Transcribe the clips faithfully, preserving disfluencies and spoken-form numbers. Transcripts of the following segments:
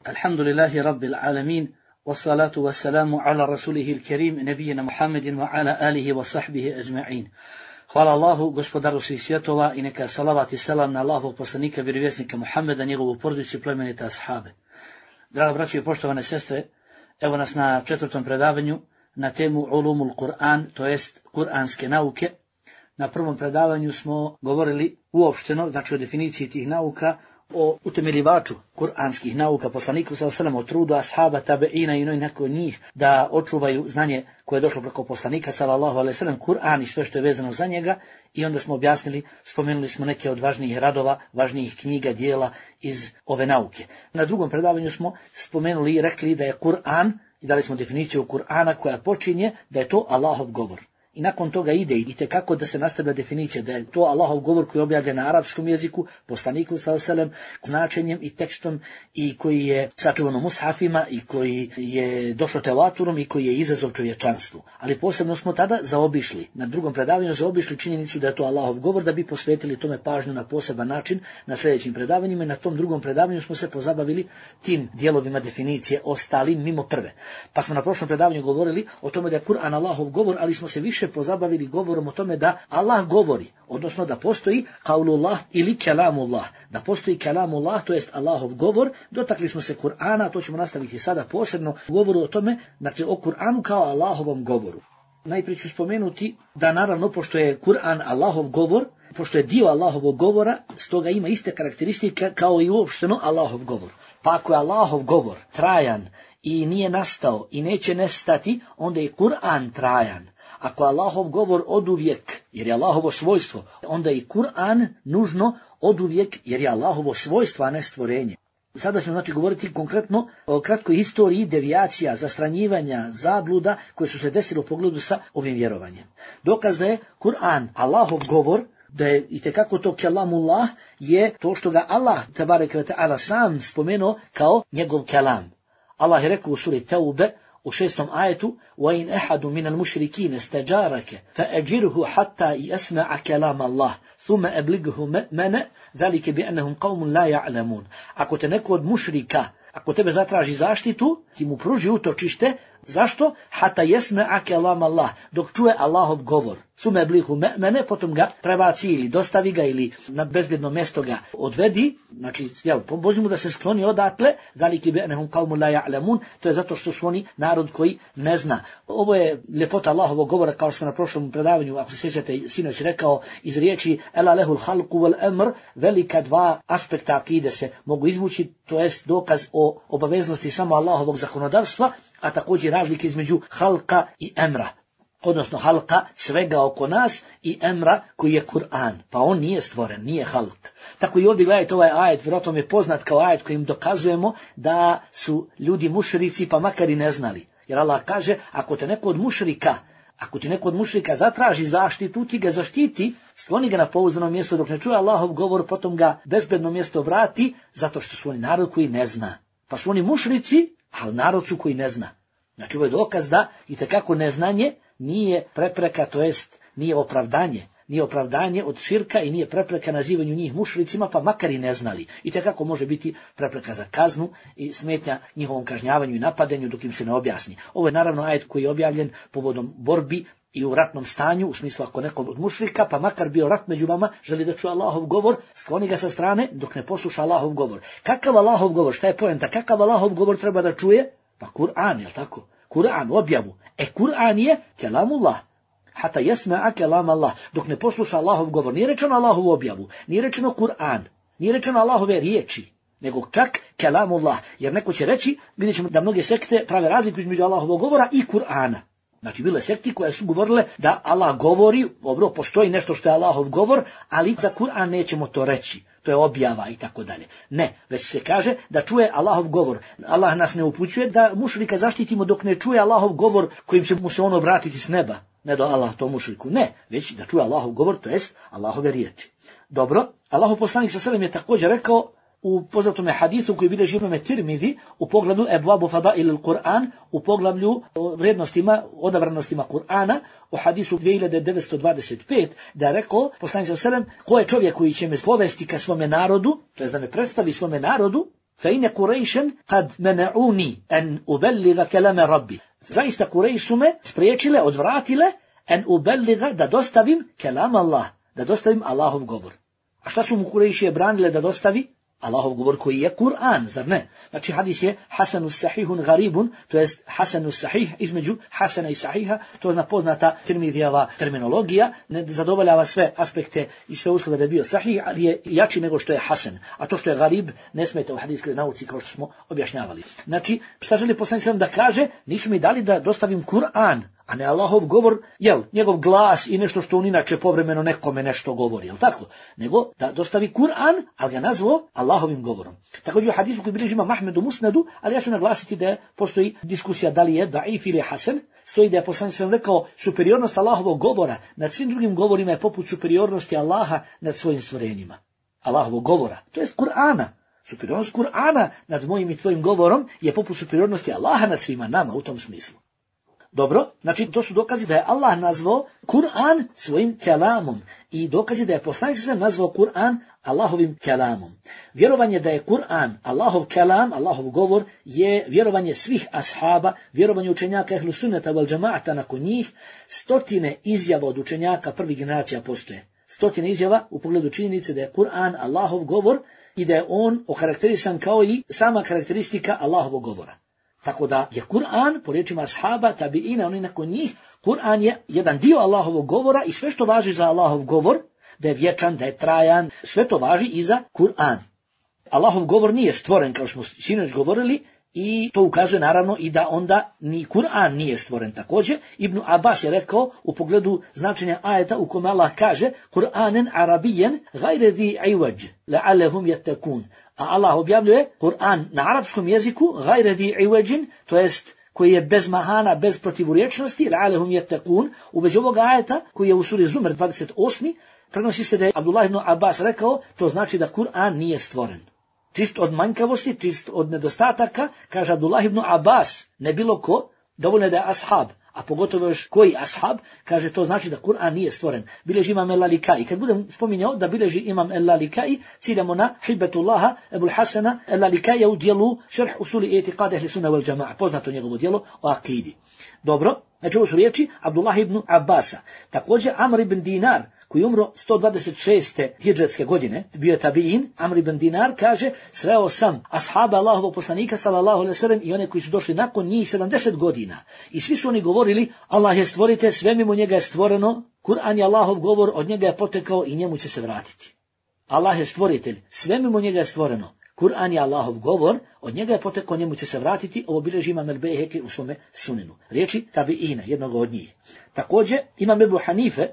Alhamdulillahi Rabbil Alamin, wassalatu wassalamu ala rasulihi il-kerim, nebijina Muhammedin wa ala alihi wa sahbihi ajma'in. Hvala Allahu, gospodaru svih svjetova, i neka salavat i salam na Allahovog poslanika, vjerovjesnika Muhammeda, njegovu porodicu i plemenite ashabe. Draga braćo i poštovane sestre, evo nas na četvrtom predavanju na temu Ulumul Kur'an, to jest kuranske nauke. Na prvom predavanju smo govorili uopšteno, znači o definiciji tih nauka, o utemeljivaču kuranskih nauka, poslaniku sallallahu alejhi ve sellem, o trudu ashaba, tabeina i nakon njih da očuvaju znanje koje je došlo preko poslanika sallallahu alejhi ve sellem, Kur'an i sve što je vezano za njega. I onda smo objasnili, spomenuli smo neke od važnijih radova, važnijih knjiga, dijela iz ove nauke. Na drugom predavanju smo spomenuli i rekli da je Kur'an, i dali smo definiciju Kur'ana koja počinje da je to Allahov govor. I nakon toga ide i tekako da se nastavlja definicija da je to Allahov govor koji je objavljen na arapskom jeziku, poslaniku sallallahu alejhi ve sellem, značenjem i tekstom, i koji je sačuvan u mushafima, i koji je došao tevaturom, i koji je izazov čovječanstvu. Ali posebno smo tada zaobišli, na drugom predavanju zaobišli činjenicu da je to Allahov govor, da bi posvetili tome pažnju na poseban način na sljedećim predavanjima. I na tom drugom predavanju smo se pozabavili tim dijelovima definicije ostalim mimo prve. Pa smo na prošlom predavanju govorili o tome da je Kur'an Allahov govor, ali smo se više pozabavili govorom o tome da Allah govori, odnosno da postoji kaulullah ili kelamullah, da postoji kelamullah, to jest Allahov govor. Dotakli smo se Kur'ana, to ćemo nastaviti sada posebno govoru o tome, dakle o Kur'anu kao Allahovom govoru. Najprije ću spomenuti da naravno, pošto je Kur'an Allahov govor, pošto je dio Allahovog govora, stoga ima iste karakteristike kao i uopšteno Allahov govor. Pa ako je Allahov govor trajan i nije nastao i neće nestati, onda je Kur'an trajan. Ako je Allahov govor oduvijek, jer je Allahovo svojstvo, onda je i Kur'an nužno oduvijek, jer je Allahovo svojstvo, a ne stvorenje. Sada ćemo znači govoriti konkretno o kratkoj historiji devijacija, zastranjivanja, zabluda koje su se desile u pogledu sa ovim vjerovanjem. Dokaz da je Kur'an Allahov govor, da je itekako to kelamullah, je to što ga Allah tebareke ve taala sam spomenuo kao njegov kelam. Allah je rekao u suri Teube u šestom ajetu: وَإِنْ أَحَدٌ مِنَ الْمُشْرِكِينَ اسْتَجَارَكَ فَأَجِرْهُ حَتَّى يَسْمَعَ كَلَامَ اللَّهِ ثُمَّ أَبْلِغْهُ مَأْمَنَ ذَلِكَ بِأَنَّهُمْ قَوْمٌ لَا يَعْلَمُونَ. Ako te neko od mušrika, ako tebe zatraži zaštitu, ti mu pruži utočište. Zašto? Hata yasma'a kalam Allah, dok čuje Allahov govor. Sume blihu mene, potom ga prebaci ili dostavi ga ili na bezbjedno mjesto ga odvedi. Znači, jel, pomozi mu da se skloni odatle. Zaliki bi'annahum qawmun la ya'lamun, to je zato što su oni narod koji ne zna. Ovo je ljepota Allahovog govora, kao što sam na prošlom predavanju, ako se sjećate, sinoć rekao iz riječi ela lehul halqu wal amr, velika dva aspekta akide se mogu izvući, to jest dokaz o obaveznosti samo Allahovog zakonodavstva, a također razlike između halka i emra, odnosno halka svega oko nas i emra koji je Kur'an, pa on nije stvoren, nije halk. Tako i ovdje gledajte ovaj ajet, vjerojatno je poznat kao ajet kojim dokazujemo da su ljudi mušrici, pa makar i ne znali. Jer Allah kaže, ako te neko od mušrika, ako ti neko od mušrika zatraži zaštitu, ti ga zaštiti, skloni ga na pouzdano mjesto dok ne čuje Allahov govor, potom ga bezbedno mjesto vrati, zato što su oni narod koji ne zna. Pa su oni mušrici, ali narod su koji ne zna. Znači ovo je dokaz da itekako neznanje nije prepreka, to jest nije opravdanje. Nije opravdanje od širka i nije prepreka nazivanju njih mušricima, pa makar i ne znali. Itekako može biti prepreka za kaznu i smetnja njihovom kažnjavanju i napadanju dok im se ne objasni. Ovo je naravno ajet koji je objavljen povodom borbi i u ratnom stanju, u smislu ako neko od mušrika, pa makar bio rat među vama, želi da čuje Allahov govor, skloni ga sa strane dok ne posluša Allahov govor. Kakav Allahov govor, šta je poenta, kakav Allahov govor treba da čuje? Pa Kur'an, jel tako? Kur'an, objavu. E, Kur'an je kelamullah. Hata yasma'a kalam Allah. Dok ne posluša Allahov govor. Nije rečeno Allahovu objavu, nije rečeno Kur'an, nije rečeno Allahove riječi, nego čak kelamullah. Jer neko će reći, vidjet ćemo da mnoge sekte prave razliku između Allahovog govora i Kur'ana. Znači, bile sekti koje su govorile da Allah govori, dobro, postoji nešto što je Allahov govor, ali za Kur'an nećemo to reći. To je objava i tako dalje. Ne, već se kaže da čuje Allahov govor. Allah nas ne upućuje da mušrika zaštitimo dok ne čuje Allahov govor kojim će mu se ono vratiti s neba. Ne do Allah to mušriku. Ne, već da čuje Allahov govor, to jest Allahove riječi. Dobro, Allahov poslanik sallallahu alejhi ve sellem je također rekao u poznatome hadisu koji bilježi imam Tirmizi u poglavlju Ebvabu Fadail al-Kur'an, u poglavlju o vrijednostima, odabranostima Kur'ana, u hadisu dvije hiljade devetsto dvadeset pet, da je rekao poslanik sallallahu alejhi ve sellem: ko je čovjek koji će me povesti ka svome narodu, to jest da me predstavi svome narodu, فإن قريشا قد منعوني أن أبلغ كلام ربي. Zaista Kurejš su me spriječile, odvratile en ubelliga, da dostavim kelam Allah, da dostavim Allahov govor. A šta su mu Kurejšije branile da dostavi? Allahov govor koji je Kur'an, zar ne? Znači hadis je hasanus sahihun garibun, to jest hasanus sahih, između hasana i sahiha, to zna poznata Tirmidijeva terminologija, ne zadovoljava sve aspekte i sve uslove da je bio sahih, ali je jači nego što je hasan. A to što je garib ne smeta u hadijskoj nauci kao što smo objašnjavali. Znači, šta želi poslanik sallallahu alejhi ve sellem da kaže? Nisu mi dali da dostavim Kur'an, a ne Allahov govor, jel, njegov glas i nešto što on inače povremeno nekome nešto govori, jel tako? Nego da dostavi Kur'an, ali ga nazvao Allahovim govorom. Također u hadisu koji bilježi Imam Ahmed u Musnedu, ali ja ću naglasiti da postoji diskusija da li je daif ili hasan, stoji da je poslanik sallallahu alejhi ve sellem rekao superiornost Allahovog govora nad svim drugim govorima je poput superiornosti Allaha nad svojim stvorenjima. Allahovog govora, to jest Kur'ana. Superiornost Kur'ana nad mojim i tvojim govorom je poput superiornosti Allaha nad svima nama u tom smislu. Dobro, znači to su dokazi da je Allah nazvao Kur'an svojim kelamom i dokazi da je poslanik sallallahu alejhi ve sellem nazvao Kur'an Allahovim kelamom. Vjerovanje da je Kur'an Allahov kelam, Allahov govor je vjerovanje svih ashaba, vjerovanje učenjaka ehlu sunneta vel džemaata nakon njih, stotine izjava od učenjaka prvih generacija postoje. Stotine izjava u pogledu činjenice da je Kur'an Allahov govor i da je on okarakterisan kao i sama karakteristika Allahovog govora. Tako da je Kur'an, po riječima ashaba, tabiina, oni nakon njih, Kur'an je jedan dio Allahovog govora i sve što važi za Allahov govor, da je vječan, da je trajan, sve to važi i za Kur'an. Allahov govor nije stvoren, kao smo sinoć govorili, i to ukazuje naravno i da onda ni Kur'an nije stvoren također. Ibn Abbas je rekao u pogledu značenja ajeta u kome Allah kaže Kur'anen arabijen gajre zi iwađ, la'alehum jettekun. A Allah objavljuje Kur'an na arapskom jeziku gajre zi iwađin, to jest koji je bez mahana, bez protivurječnosti, la'alehum jettekun. U vezi ovoga ajeta koji je u suri Zumer dvadeset osmi prenosi se da je Abdullah ibn Abbas rekao, to znači da Kur'an nije stvoren. Čist od manjkavosti, čist od nedostataka, kaže Abdullah ibn Abbas, ne bilo ko, dovoljno je da je ashab, a pogotovo još koji ashab, kaže to znači da Kur'an nije stvoren. Bileži imam el-Lalikai. Kad budem spominjao da bileži imam el-Lalikai, ciljamo na Hibbetullaha Ebul Hasana el-Lalikai u dijelu Šerh usuli etiqad ehli sunna wal džama'a, poznato njegovo dijelo o akidi. Dobro, znači ovo su riječi Abdullah ibn Abbasa. Također Amr ibn Dinar, koji je umro sto dvadeset šeste hidžretske godine, bio je tabiin, Amr ibn Dinar kaže, sreo sam ashaba Allahovog poslanika sallallahu alejhi ve sellem i one koji su došli nakon njih sedamdeset godina. I svi su oni govorili, Allah je stvoritelj, sve mimo njega je stvoreno, Kur'an je Allahov govor, od njega je potekao i njemu će se vratiti. Allah je stvoritelj, sve mimo njega je stvoreno, Kur'an je Allahov govor, od njega je potekao, njemu će se vratiti, ovo bilježi imam el-Bejheki u svome sunenu. Riječi tabiina, jednog od njih. Također imam Ebu Hanife,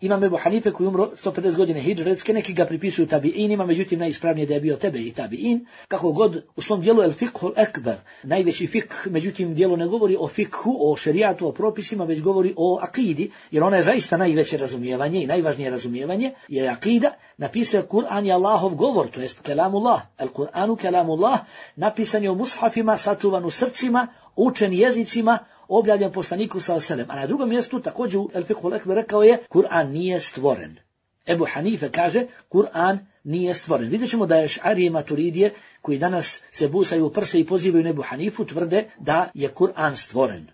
Imam Ebu Hanife koji umro sto pedeset godine hidžretske, neki ga pripisuju tabiinima, međutim najispravnije da je bio tebe i tabiin. Kako god u svom dijelu El Fiqhul Ekber, najveći fikh, međutim dijelo ne govori o fikhu, o šerijatu, o propisima, već govori o akidi, jer ona je zaista najveće razumijevanje i najvažnije razumijevanje, je akida. Napisao Kur'an je Allahov govor, to jest kelamullah, el Kur'anu kelamullah, napisan je u mushafima, sačuvan u srcima, učen jezicima, objavljen poslaniku sallallahu alejhi ve sellem. A na drugom mjestu također u El Fiqhul Ekber rekao je Kur'an nije stvoren. Ebu Hanife kaže Kur'an nije stvoren. Vidjet ćemo da je Eš'arije i Maturidije koji danas se busaju u prse i pozivaju na Ebu Hanifu tvrde da je Kur'an stvoren.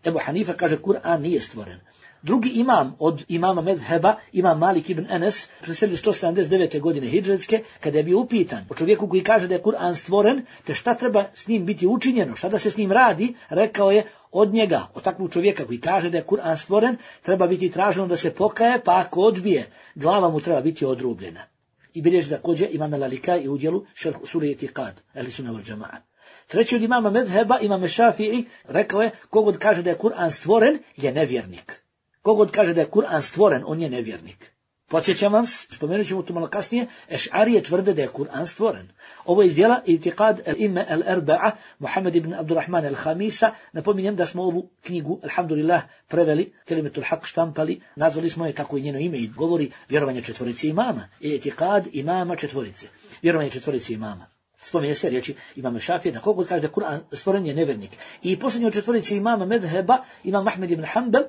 Ebu Hanife kaže Kur'an nije stvoren. Drugi imam od imama medheba, imam Malik ibn Enes, preselio sto sedamdeset devete godine hidžretske, kada je bio upitan o čovjeku koji kaže da je Kur'an stvoren, te šta treba s njim biti učinjeno, šta da se s njim radi, rekao je od njega, od takvog čovjeka koji kaže da je Kur'an stvoren, treba biti traženo da se pokaje, pa ako odbije, glava mu treba biti odrubljena. I bilježi također imam el-Lalikai u udjelu Šerh usuli etiqad ehli sunna wal džama'a. Treći od imama medheba, imam Šafii, rekao je kogod kaže da je Kur'an stvoren, je nevjernik. Kogod kaže da je Kur'an stvoren, on je nevjernik. Podsjećam vam, spomenut ćemo to malo kasnije, Eš'arije tvrde da je Kur'an stvoren. Ovo je iz dijela Itiqad el-Imme el-Erba'a, Muhammed ibn Abdurrahman el-Hamisa. Napominjem da smo ovu knjigu, alhamdulillah, preveli, Kelimetul Haq štampali, nazvali smo je kako je njeno ime i govori vjerovanje četvorice imama. Itiqad imama četvorice. Vjerovanje četvorice imama. Spominje se riječi imama Šafije da kogod kaže da Kur'an stvoren je nevjernik. I posljednji od četvorice imama medheba, imam Ahmed ibn Hanbel,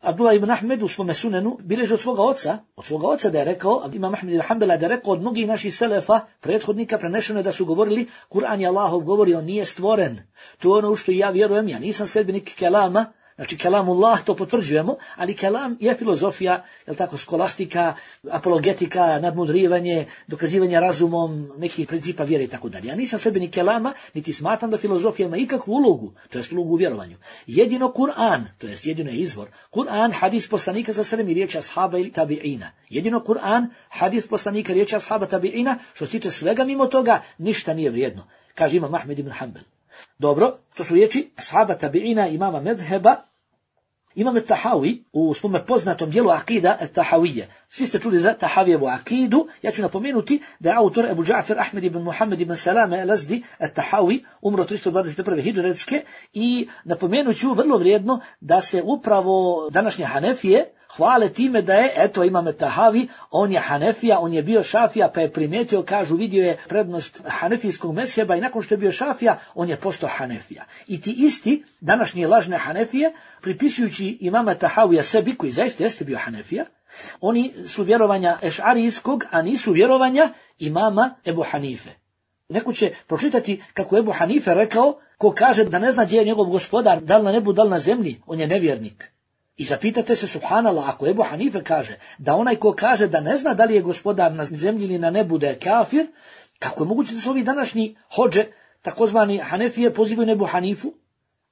Abdullah ibn Ahmed u svome sunenu bilježi od svoga oca, od svoga oca da je rekao, Imam Ahmed ibn Hanbala da je rekao od mnogih naših selefa, prethodnika, prenešeno je da su govorili, Kur'an je Allahov govori, on nije stvoren. To je ono u što ja vjerujem, ja nisam sledbenik kelama, znači kelamullah to potvrđujemo, ali kelam je filozofija, je tako, skolastika, apologetika, nadmudrivanje, dokazivanje razumom nekih principa vjere i tako dalje. Ja nisam sledbenik kelama, niti smatram da filozofija ima ikakvu ulogu, to jest ulogu u vjerovanju. Jedino Kur'an, to jest jedino je izvor, Kur'an, hadis poslanika sa srem i riječi ashaba ili tabi'ina. Jedino Kur'an, hadis poslanika, riječi ashaba tabi'ina, što se tiče svega mimo toga, ništa nije vrijedno, kaže Imam Ahmed ibn Hanbal. Dobro, to su riječi ashaba tabi'ina, imama medheba. Imam Tahawi u svome poznatom dijelu Akida Tahawije. Svi ste čuli za Tahavijevu akidu. Ja ću napomenuti da je autor Ebu Džafer Ahmed ibn Muhammed ibn Salame el-Azdi Tahawi umro tristo dvadeset prve hidžretske i napomenut ću vrlo vrijedno da se upravo današnje Hanefije hvale time da je, eto Imam Tahavi, on je Hanefija, on je bio Šafija, pa je primijetio, kažu, vidio je prednost Hanefijskog mezheba i nakon što je bio Šafija, on je postao Hanefija. I ti isti današnje lažne Hanefije, pripisujući Imama Tahavija sebi, koji zaista jeste bio Hanefija, oni su vjerovanja ešarijskog, a nisu vjerovanja imama Ebu Hanife. Neko će pročitati kako Ebu Hanife rekao, ko kaže da ne zna gdje je njegov gospodar, da li na nebu, da li na zemlji, on je nevjernik. I zapitate se, subhanallah, ako Ebu Hanife kaže da onaj ko kaže da ne zna da li je gospodar na zemlji ili na nebu da je kafir, kako je moguće da se ovi današnji hodže, takozvani Hanefije, pozivaju na Ebu Hanifu?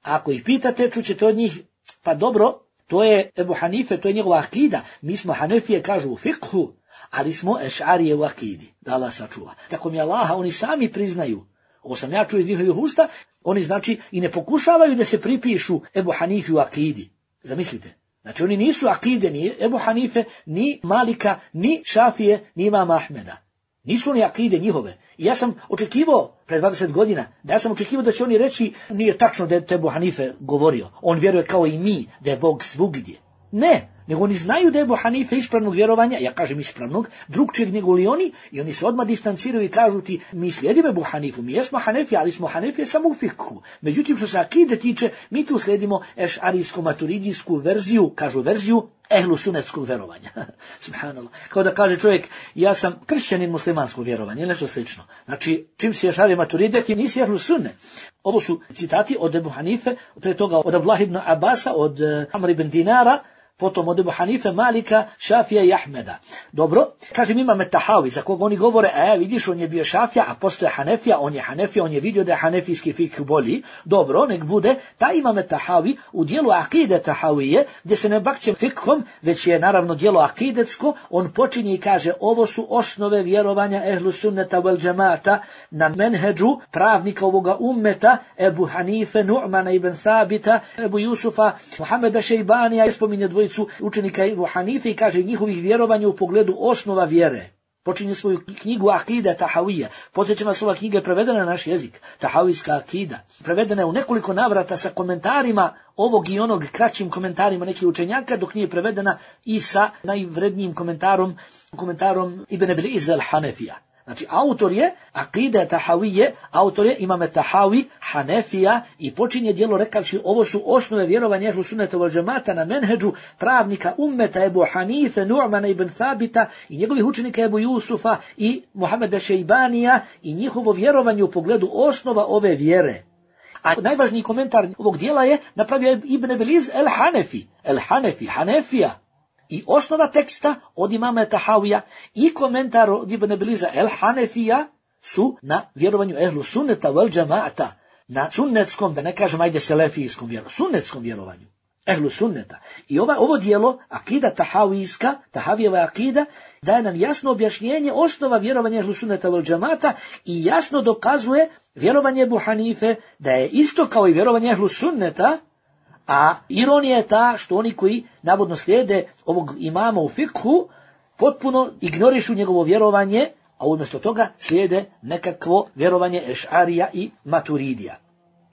A ako ih pitate, čućete od njih, pa dobro, to je Ebu Hanife, to je njegova akida. Mi smo Hanefije, kažu u fikhu, ali smo ešarije u akidi. Da Allah sačuva. Tako mi Allaha, oni sami priznaju. Ovo sam ja čuo iz njihovih usta, oni znači i ne pokušavaju da se pripišu Ebu Hanifi u akidi. Zamislite. Znači oni nisu akide ni Ebu Hanife, ni Malika, ni Šafije, ni Imama Ahmeda. Nisu oni akide njihove. I ja sam očekivao, pre dvadeset godina, da ja sam očekivao da će oni reći, nije tačno da je Ebu Hanife govorio. On vjeruje kao i mi, da je Bog svugdje. Ne, nego oni znaju da je Ebu Hanife ispravnog vjerovanja, ja kažem ispravnog, drugčijeg nego li oni, i oni se odmah distanciraju i kažu ti, mi slijedimo Ebu Hanifu, mi jesmo Hanefije, ali smo Hanefije samo u fikhu. Međutim, što se akide tiče, mi tu slijedimo ešarijsko-maturidijsku verziju, kažu verziju, ehlu sunetskog vjerovanja. Subhanallah. Kao da kaže čovjek, ja sam kršćanin muslimanskog vjerovanja, ili nešto slično. Znači, čim si ešarije maturide, ti nisi ehlu sunne. Ovo su citati od Ebu Hanife, pre toga od Abdullah ibn Abasa, od Amr ibn Dinara, potom od Ebu Hanife, Malika, Šafija i Ahmeda. Dobro, kažem Imam Tahawi, za koga oni govore, e, vidiš, on je bio Šafija, a postoje Hanefija, on je Hanefija, on je vidio da je hanefijski fikh bolji. Dobro, nek bude, taj Imam Tahawi u dijelu akide Tahawije, gdje se ne bakće fikhom, već je naravno dijelo akidetsko, on počinje i kaže, ovo su osnove vjerovanja ehlu sunneta wal džemata na menheđu pravnika ovoga ummeta, Ebu Hanife, Nu'mana ibn Thabita, Ebu Jusufa, Muhameda Šejbanija, je spominje dvojicu učenika Ebu Hanife i kaže njihovih vjerovanja u pogledu osnova vjere. Počinje svoju knjigu Akida Tahawija. Podsjećam vas, ova knjiga je prevedena na naš jezik. Tahawijska akida. Prevedena je u nekoliko navrata sa komentarima ovog i onog, kraćim komentarima nekih učenjaka, dok nije prevedena i sa najvrednijim komentarom, komentarom Ibn Abil Iz al-Hanefija. Znači, autor je Akida Tahawije, autor je Imam Tahawi, Hanefija, i počinje djelo rekavši, ovo su osnove vjerovanja ehlu sunneta wal džemata na menheđu pravnika ummeta Ebu Hanife, Nu'mana ibn Thabita i njegovih učenika Ebu Jusufa i Muhameda Šejbanija i njihovo vjerovanje u pogledu osnova ove vjere. A najvažniji komentar ovog dijela je napravio Ibn Abil el-Hanefi, el-Hanefi, Hanefija. I osnova teksta od Imama Tahawija i komentar od Ibn Abiliza el-Hanefija su na vjerovanju ehlu sunneta wal džemata, na sunnetskom, da ne kažem ajde selefijskom vjerovanju, sunnetskom vjerovanju, ehlu sunneta. I ova, ovo dijelo, akida Tahawijska, Tahavijeva akida, daje nam jasno objašnjenje osnova vjerovanja ehlu sunneta wal džemata i jasno dokazuje vjerovanje Ebu Hanife da je isto kao i vjerovanje ehlu sunneta. A ironija je ta što oni koji navodno slijede ovog imama u fikhu potpuno ignorišu njegovo vjerovanje, a umjesto toga slijede nekakvo vjerovanje ešarija i maturidija.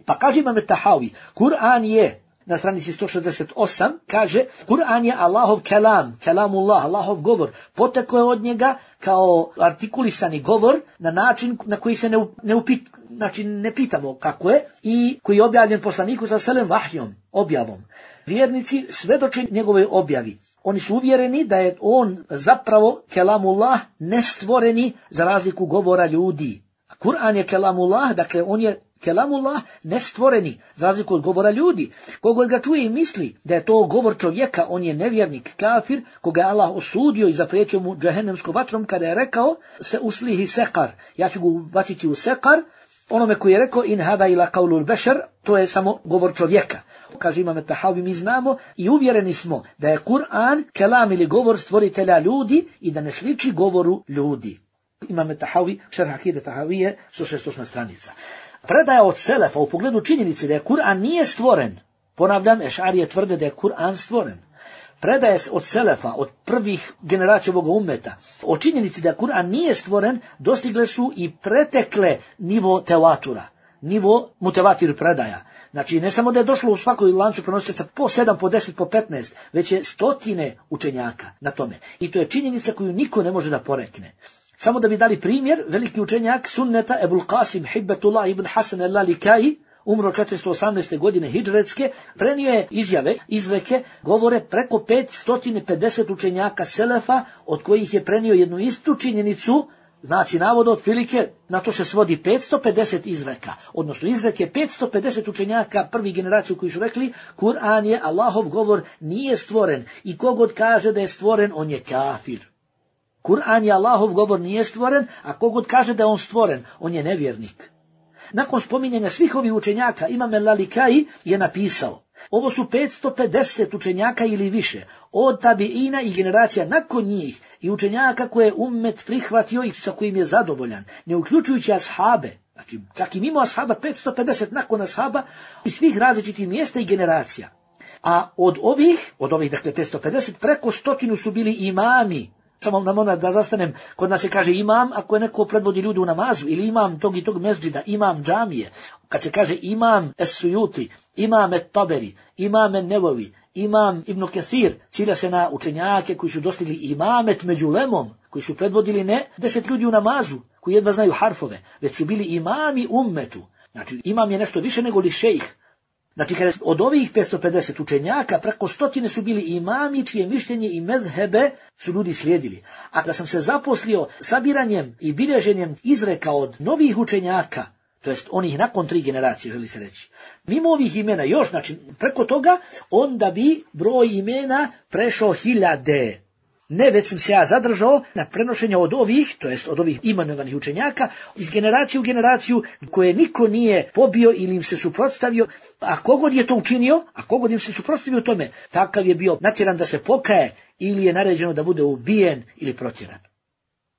Pa kaže Imam Tahawi, Kur'an je na stranici sto šezdeset osam, kaže Kur'an je Allahov kelam, kelamullah, Allahov govor. Potekao je od njega kao artikulisani govor na način na koji se ne, ne upit, znači ne pitamo kako je, i koji je objavljen poslaniku sa selem vahjom, objavom. Vjernici svedoče njegove objavi. Oni su uvjereni da je on zapravo kelamullah, nestvoreni za razliku govora ljudi. A Kur'an je kelamullah, dakle on je kelamullah nestvoreni za razliku od govora ljudi. Kogod ga čuje i misli da je to govor čovjeka, on je nevjernik, kafir, koga je Allah osudio i zaprijetio mu džehennemskom vatrom kada je rekao se uslihi sekar, ja ću ga baciti u sekar. Onome koji je rekao in hada ila qaulul bešar, to je samo govor čovjeka. Kaže Imam Tahavi, mi znamo i uvjereni smo da je Kur'an kelam ili govor stvoritelja ljudi i da ne sliči govoru ljudi. Imam Tahavi, šerh akide Tahavije, sto šezdeset osma stranica. Predaja od selefa u pogledu činjenice da je Kur'an nije stvoren. Ponavljam, Ešarije tvrde da je Kur'an stvoren. Predaje od selefa, od prvih generacija ovoga ummeta, o činjenici da Kur'an nije stvoren, dostigle su i pretekle nivo tevatura, nivo mutevatir predaja. Znači, ne samo da je došlo u svakoj lancu prenosilaca po sedam, po deset, po petnaest, već je stotine učenjaka na tome. I to je činjenica koju niko ne može da porekne. Samo da bi dali primjer, veliki učenjak sunneta Ebul Qasim Hibbetullah ibn Hasan al-Lalikai, umro četiristo osamnaeste. godine hidžretske, prenio je izjave, izreke, govore preko petsto pedeset učenjaka selefa, od kojih je prenio jednu istu činjenicu, znači navoda otprilike, na to se svodi petsto pedeset izreka, odnosno izreke petsto pedeset učenjaka prvih generaciju koji su rekli Kur'an je Allahov govor, nije stvoren i kogod kaže da je stvoren, on je kafir. Kur'an je Allahov govor, nije stvoren, a kogod kaže da je on stvoren, on je nevjernik. Nakon spominjanja svih ovih učenjaka, Imam al-Lalikai je napisao, ovo su petsto pedeset učenjaka ili više, od tabiina i generacija nakon njih i učenjaka koje je ummet prihvatio i sa kojim je zadovoljan, ne uključujući ashabe, znači čak i mimo ashaba, petsto pedeset nakon ashaba iz svih različitih mjesta i generacija. A od ovih, od ovih dakle petsto pedeset, preko stotinu su bili imami. Samo nam ona da zastanem, kod nas se kaže imam ako je neko predvodi ljudi u namazu, ili imam tog i tog mesdžida, imam džamije. Kad se kaže imam Es-Sujuti, imam Et-Taberi, imam En-Nevavi, imam Ibn Kathir, cilja se na učenjake koji su dostigli imamet među lemom, koji su predvodili ne deset ljudi u namazu, koji jedva znaju harfove, već su bili imami ummetu. Znači imam je nešto više nego li šejh. Znači, kada od ovih petsto pedeset učenjaka, preko stotine su bili imami, čije mišljenje i mezhebe su ljudi slijedili. A kada sam se zaposlio sabiranjem i bilježenjem izreka od novih učenjaka, to jest onih nakon tri generacije, želi se reći, mimo ovih imena još, znači, preko toga, onda bi broj imena prešao hiljade. Ne, već sam se ja zadržao na prenošenje od ovih, to jest od ovih imenovanih učenjaka, iz generacije u generaciju, koje niko nije pobio ili im se suprotstavio, a kogod je to učinio, a kogod im se suprotstavio tome, takav je bio natjeran da se pokaje ili je naređeno da bude ubijen ili protjeran.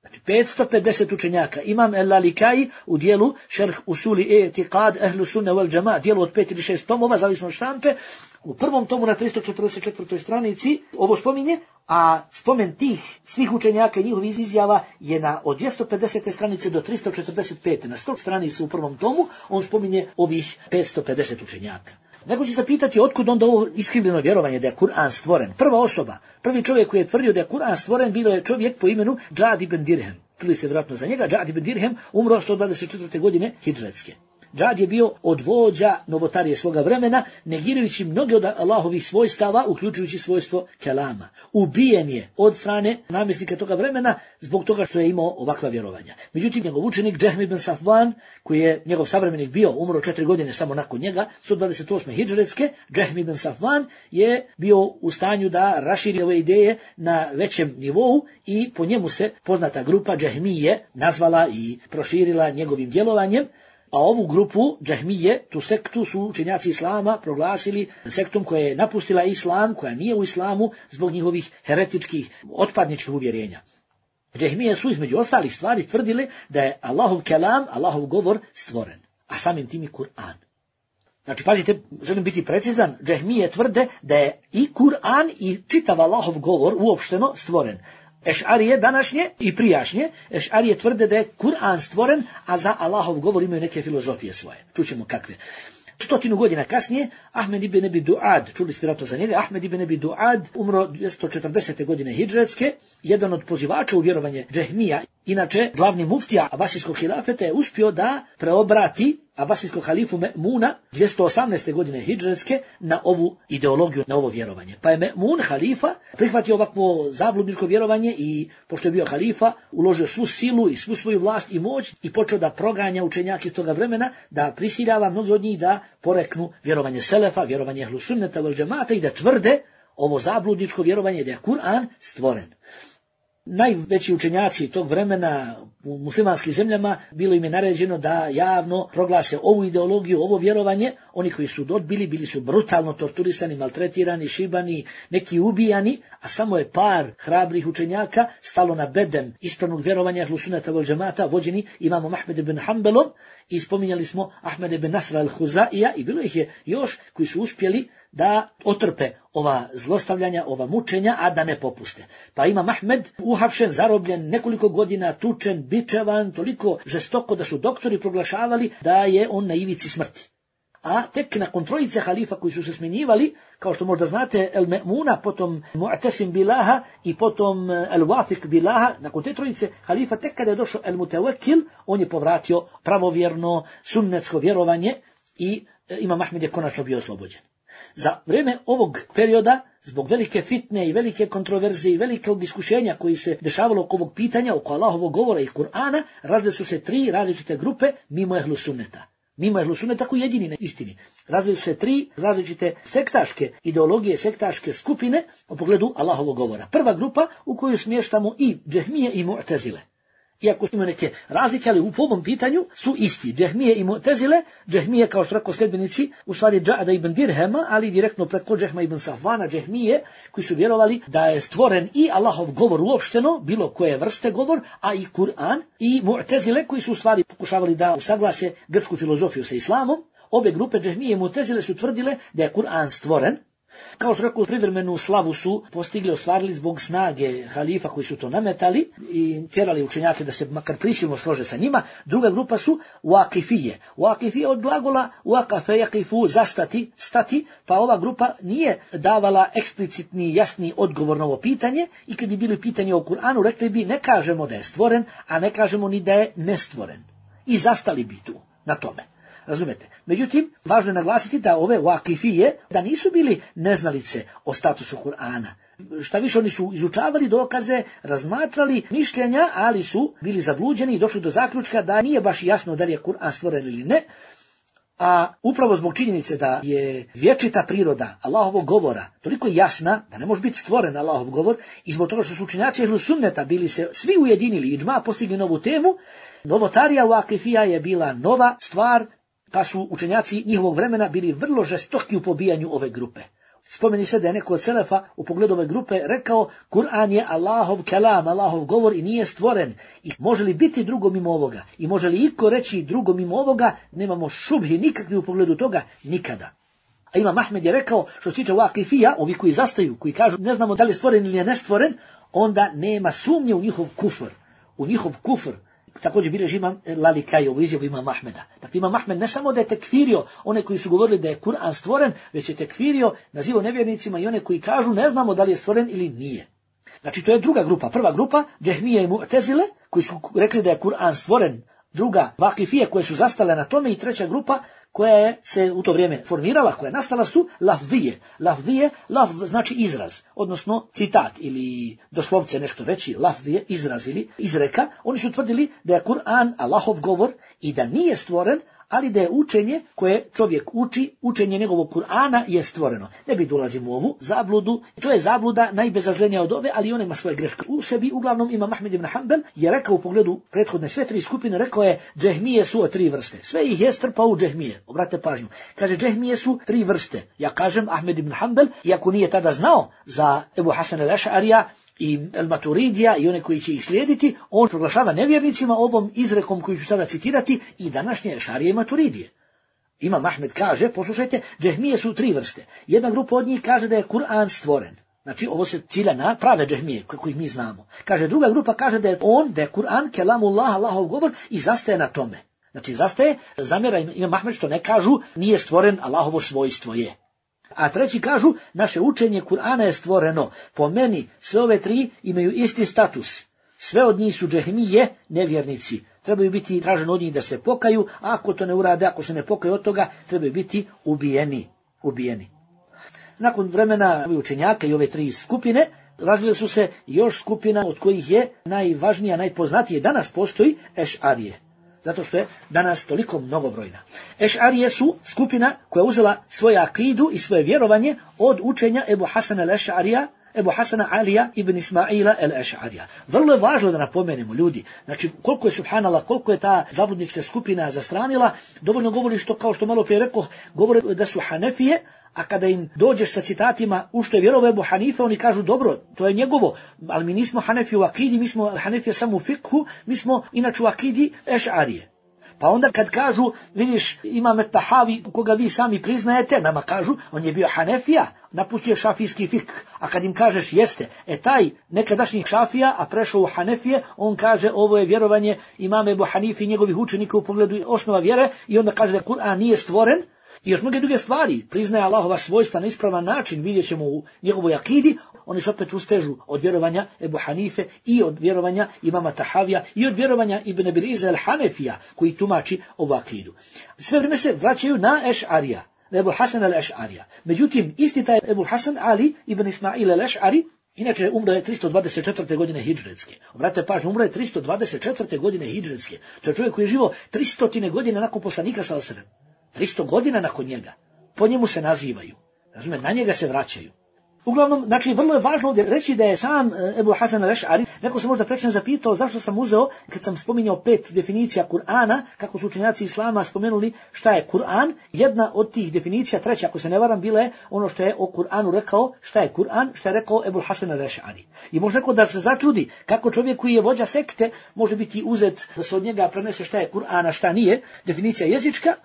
Znači, petsto pedeset učenjaka. Imam al-Lalikai u dijelu Šerh Usuli I'tiqad Ehlu Sunne wal Džama, dijelu od pet ili šest tomova, zavisno od štampe, u prvom tomu na tristo četrdeset četvrtoj stranici ovo spominje, a spomen tih svih učenjaka i njihovih izjava je na od dvjesto pedesete stranice do tristo četrdeset pete. Na sto stranici u prvom tomu on spominje ovih petsto pedeset učenjaka. Neko će se pitati otkud onda ovo iskrivljeno vjerovanje da je Kur'an stvoren. Prva osoba, prvi čovjek koji je tvrdio da je Kur'an stvoren bilo je čovjek po imenu Džad ibn Dirhem. Čuli se vjerojatno za njega, Džad ibn Dirhem umro sto dvadeset četvrte. godine hidžretske. Džad je bio od vođa novotarije svoga vremena, negirajući mnoge od Allahovih svojstava, uključujući svojstvo kelama. Ubijen je od strane namjesnika toga vremena zbog toga što je imao ovakva vjerovanja. Međutim, njegov učenik Džehm ibn Safvan, koji je njegov savremenik bio, umro četiri godine samo nakon njega, sto dvadeset osme. hidžretske, Džehm ibn Safvan je bio u stanju da raširi ove ideje na većem nivou i po njemu se poznata grupa Džehmije nazvala i proširila njegovim djelovanjem. A ovu grupu Džehmije, tu sektu, su učenjaci islama proglasili sektom koja je napustila islam, koja nije u islamu zbog njihovih heretičkih, otpadničkih uvjerenja. Džehmije su između ostalih stvari tvrdili da je Allahov kelam, Allahov govor stvoren, a samim tim i Kur'an. Znači, pazite, želim biti precizan, Džehmije tvrde da je i Kur'an i čitav Allahov govor uopšteno stvoren. Ešarije današnje i prijašnje, Ešarije tvrde da je Kur'an stvoren, a za Allahov govor imaju neke filozofije svoje. Čućemo kakve. Stotinu godina kasnije, Ahmed ibn Abi Duad, čuli ste vjerojatno za njega, Ahmed ibn Abi Duad umro dvjesto četrdesete godine hidžretske, jedan od pozivača u vjerovanje Džehmija, inače glavni muftija Abasijskog hilafeta, je uspio da preobrati Abasijskog halifu Me'muna dvjesto osamnaeste godine hidžretske na ovu ideologiju, na ovo vjerovanje. Pa je Me'mun, halifa, prihvatio ovakvo zabludničko vjerovanje i, pošto je bio halifa, uložio svu silu i svu svoju vlast i moć i počeo da proganja učenjake toga vremena, da prisiljava mnogi od njih da poreknu vjerovanje selefa, vjerovanje ehlu sunneta vel džemata i da tvrde ovo zabludničko vjerovanje da je Kur'an stvoren. Najveći učenjaci tog vremena u muslimanskim zemljama bilo im je naređeno da javno proglase ovu ideologiju, ovo vjerovanje. Oni koji su odbili bili su brutalno torturisani, maltretirani, šibani, neki ubijani, a samo je par hrabrih učenjaka stalo na bedem ispravnog vjerovanja ehlu sunneta vel džemata, vođeni imamom Ahmed ibn Hanbalom, i spominjali smo Ahmed ibn Nasra al-Huzaija, i bilo ih je još koji su uspjeli da otrpe ova zlostavljanja, ova mučenja, a da ne popuste. Pa imam Ahmed uhapšen, zarobljen, nekoliko godina tučen, bičevan, toliko žestoko da su doktori proglašavali da je on na ivici smrti. A tek nakon trojice halifa koji su se smjenjivali, kao što možda znate, El Me'muna, potom Mu'tasim Bilaha i potom El Wathiq Bilaha, nakon te trojice halifa, tek kada je došao El Mutawakil, on je povratio pravovjerno sunnetsko vjerovanje i imam Ahmed je konačno bio oslobođen. Za vrijeme ovog perioda, zbog velike fitne i velike kontroverze i velikog iskušenja koji se dešavalo oko ovog pitanja, oko Allahovog govora i Kur'ana, razvile su se tri različite grupe mimo ehlu sunneta. Mimo ehlu sunneta koji jedini na istini. Razvile su se tri različite sektaške ideologije, sektaške skupine u pogledu Allahovog govora. Prva grupa u koju smještamo i Džehmije i Mu'tezile. Iako ima neke razlike, ali u ovom pitanju su isti. Džehmije i Mu'tezile, Džehmije kao što rekao sljedbenici, u stvari Dža'ada ibn Dirhema, ali direktno preko Džehma ibn Safvana, Džehmije, koji su vjerovali da je stvoren i Allahov govor uopšteno, bilo koje vrste govor, a i Kur'an, i Mu'tezile koji su u stvari pokušavali da usaglase grčku filozofiju sa islamom. Obe grupe Džehmije i Mu'tezile su tvrdile da je Kur'an stvoren. Kao što rekao, privremenu slavu su postigli, ostvarili zbog snage halifa koji su to nametali i tjerali učenjake da se makar prisilno slože sa njima. Druga grupa su Waqifije. Waqifije od glagola waqafe yaqifu, zastati, stati, pa ova grupa nije davala eksplicitni, jasni odgovor na ovo pitanje i kad bi bili pitanje o Kur'anu, rekli bi ne kažemo da je stvoren, a ne kažemo ni da je nestvoren. I zastali bi tu na tome. Razumete? Međutim, važno je naglasiti da ove Waqifije, da nisu bili neznalice o statusu Kur'ana. Šta više, oni su izučavali dokaze, razmatrali mišljenja, ali su bili zabluđeni i došli do zaključka da nije baš jasno da li je Kur'an stvoren ili ne. A upravo zbog činjenice da je vječita priroda Allahovog govora toliko jasna da ne može biti stvoren Allahov govor, i zbog toga što su učenjaci ehlu sunneta bili se svi ujedinili i džma postigli novu temu, novotarija Waqifija je bila nova stvar, pa su učenjaci njihovog vremena bili vrlo žestoki u pobijanju ove grupe. Spomeni se da je neko od selefa u pogledu ove grupe rekao Kur'an je Allahov kelam, Allahov govor i nije stvoren. I može li biti drugo mimo ovoga? I može li iko reći drugo mimo ovoga? Nemamo šubhi nikakvi u pogledu toga, nikada. A imam Ahmed je rekao, što se tiče Waqifija, ovi koji zastaju, koji kažu ne znamo da li je stvoren ili je nestvoren, onda nema sumnje u njihov kufr. U njihov kufr. Također bilježi imam Lalikaj, ovo izjavu imam Ahmeda. Dakle, imam Ahmed ne samo da je tekfirio one koji su govorili da je Kur'an stvoren, već je tekfirio, nazivao nevjernicima i one koji kažu ne znamo da li je stvoren ili nije. Znači, to je druga grupa. Prva grupa, Džehmije i Mu'tezile, koji su rekli da je Kur'an stvoren. Druga, Waqifije, koje su zastale na tome. I treća grupa, koja je se u to vrijeme formirala, koja je nastala, su lafzije. Lafzije, lafz znači izraz, odnosno citat ili doslovce nešto reći, lafzije, izraz ili izreka. Oni su tvrdili da je Kur'an Allahov govor i da nije stvoren, ali da je učenje koje čovjek uči, učenje njegovog Kur'ana je stvoreno. Ne bi dolazimo u ovu zabludu. To je zabluda najbezazlenija od ove, ali ona ima svoje greške u sebi. Uglavnom imam Ahmed ibn Hanbal je rekao u pogledu prethodne sve tri skupine, rekao je Džehmije su od tri vrste. Sve ih je strpao u Džehmije. Obratite pažnju. Kaže Džehmije su tri vrste. Ja kažem Ahmed ibn Hanbal, iako nije tada znao za Ebu Hasan al-Eš'arija i El-Maturidija i one koji će ih slijediti, on proglašava nevjernicima ovom izrekom koju ću sada citirati i današnje Ešarije i Maturidije. Imam Ahmed kaže, poslušajte, Džehmije su tri vrste. Jedna grupa od njih kaže da je Kur'an stvoren. Znači, ovo se cilja na prave Džehmije, kako ih mi znamo. Kaže, druga grupa kaže da je on, da je Kur'an, kelamullah, Allahov govor, i zastaje na tome. Znači zastaje, zamjera Imam Ahmed što ne kažu nije stvoren, Allahovo svojstvo je. A treći kažu, naše učenje Kur'ana je stvoreno. Po meni sve ove tri imaju isti status. Sve od njih su džehmije, nevjernici. Trebaju biti traženo od njih da se pokaju, a ako to ne urade, ako se ne pokaju od toga, trebaju biti ubijeni. ubijeni. Nakon vremena učenjaka i ove tri skupine, razvile su se još skupina od kojih je najvažnija, najpoznatije danas postoji Eš'arije. Zato što je danas toliko mnogobrojna. Eš'arije su skupina koja uzela svoju akidu i svoje vjerovanje od učenja Ebu Hasana al-Eš'arija, Ebu Hasana Alija ibn Ismaila el-Eš'arija. Vrlo je važno da napomenemo, ljudi, znači koliko je subhanallah, koliko je ta zabludnička skupina zastranila, dovoljno govori što, kao što malo prije rekao, govore da su Hanefije, a kada im dođeš sa citatima u što je vjerovao Ebu Hanife, oni kažu dobro, to je njegovo, ali mi nismo Hanefi u akidi, mi smo Hanefije samo u fikhu, mi smo inače u akidi Eš'arije. Pa onda kad kažu, vidiš, imam Tahavi, koga vi sami priznajete, nama kažu, on je bio Hanefija, napustio šafijski fik. A kad im kažeš jeste, e taj nekadašnji šafija, a prešao u Hanefije, on kaže ovo je vjerovanje imame Ebu Hanife i njegovih učenika u pogledu osnova vjere i onda kaže da Kur'an nije stvoren. I još mnoge druge stvari, priznaje Allahova svojstva na ispravan način, vidjet ćemo u njegovoj akidi, oni se opet ustežu od vjerovanja Ebu Hanife i od vjerovanja imama Tahavija i od vjerovanja Ibn Abiriza el-Hanefija koji tumači ovu akidu. Sve vrijeme se vraćaju na Eš'arija, na Ebu Hasan el-Eš'arija. Međutim, isti taj Ebu Hasan Ali ibn Ismail el-Eš'ari, inače umro je tristo dvadeset četvrte godine hidžretske. Obratite pažnju, umro je tristo dvadeset četvrte godine hidžretske. To je čovjek koji je živo tristo godine nakon poslanika sallallahu alejhi ve sellem. tristo godina nakon njega. Po njemu se nazivaju. Razumije, na njega se vraćaju. Uglavnom, znači, vrlo je važno ovdje reći da je sam Ebu Hasan al-Eš'ari, neko se možda prečno zapitao zašto sam uzeo, kad sam spominjao pet definicija Kur'ana, kako su učenjaci Islama spomenuli šta je Kur'an, jedna od tih definicija, treća, ako se ne varam, bila je ono što je o Kur'anu rekao, šta je Kur'an, šta je rekao Ebu Hasan al-Eš'ari. I može rekao da se začudi kako čovjek koji je vođa sekte može biti uzet da se od njega prenese šta je Kur'an, a šta nije, definicija jezička.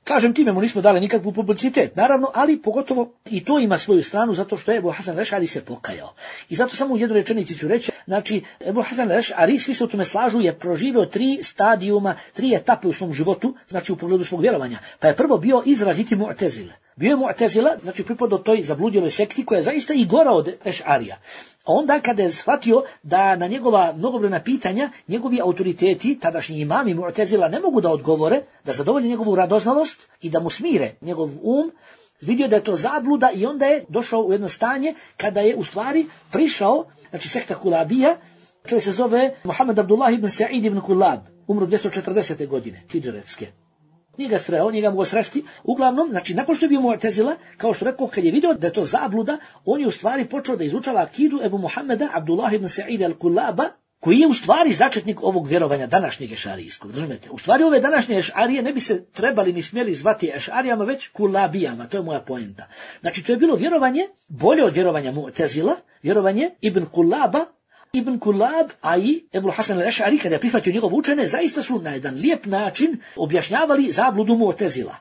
Kažem, time mu nismo dali nikakvu publicitet, naravno, ali pogotovo i to ima svoju stranu zato što je Ebu Hasan al-Eš'ari se pokajao. I zato samo u jednoj rečenici ću reći, znači, Ebu Hasan al-Eš'ari, svi se u tome slažu, je proživio tri stadijuma, tri etape u svom životu, znači u pogledu svog vjerovanja. Pa je prvo bio izraziti Mu'tezile. Bio je Mu'tezila, znači pripadao toj zabludjeloj sekti koja je zaista i gora od Eš'arija. A onda kada je shvatio da na njegova mnogobrojna pitanja njegovi autoriteti, tadašnji imami Mu'tezila, ne mogu da odgovore, da zadovolje njegovu radoznalost i da mu smire njegov um, vidio da je to zabluda i onda je došao u jedno stanje kada je u stvari prišao, znači sekta Kulabija, čovjek se zove Muhammed Abdullah ibn Sa'id ibn Kulab, umro dvjesto četrdesete godine, hidžretske. Nije ga sreo, nije ga mogo sresti. Uglavnom, znači, nakon što je bio Mu'tezila, kao što rekao, kad je vidio da je to zabluda, on je u stvari počeo da izučava akidu Ebu Muhammeda Abdullah ibn Sa'id al-Kulaba, koji je u stvari začetnik ovog vjerovanja današnjeg ešarijskog. Razumete? U stvari ove današnje ešarije ne bi se trebali ni smjeli zvati ešarijama, već kulabijama. To je moja poenta. Znači, to je bilo vjerovanje, bolje od vjerovanja Mu'tezila, vjerovanje Ibn Kulaba, Ibn Kulab, a i Ebu Hasan al-Eš'ari, kada je prihvatio njegov učene, zaista su na jedan lijep način objašnjavali zabludu Mu'tezila.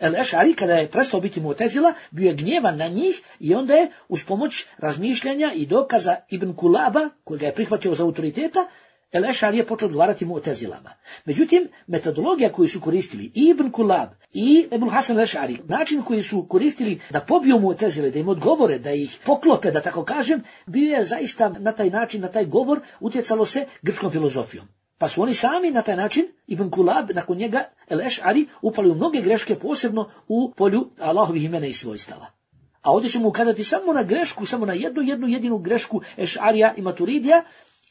Al-Eš'ari, kada je prestao biti Mu'tezila, bio je gnjevan na njih i onda je uz pomoć razmišljanja i dokaza Ibn Kulaba, koji ga je prihvatio za autoriteta, Al-Eš'ari je počeo odgovarati Mu'tezilama. Međutim, metodologija koju su koristili i Ibn Kulab i Ebu Hasan al-Eš'ari, način koji su koristili da pobiju Mu'tezile, da im odgovore, da ih poklope, da tako kažem, bio je zaista na taj način, na taj govor utjecalo se grčkom filozofijom. Pa su oni sami na taj način, Ibn Kulab, nakon njega, Al-Eš'ari, upali u mnoge greške, posebno u polju Allahovih imena i svojstava. A ovdje ćemo ukazati samo na grešku, samo na jednu, jednu jedinu grešku Eš'arija i Maturidija,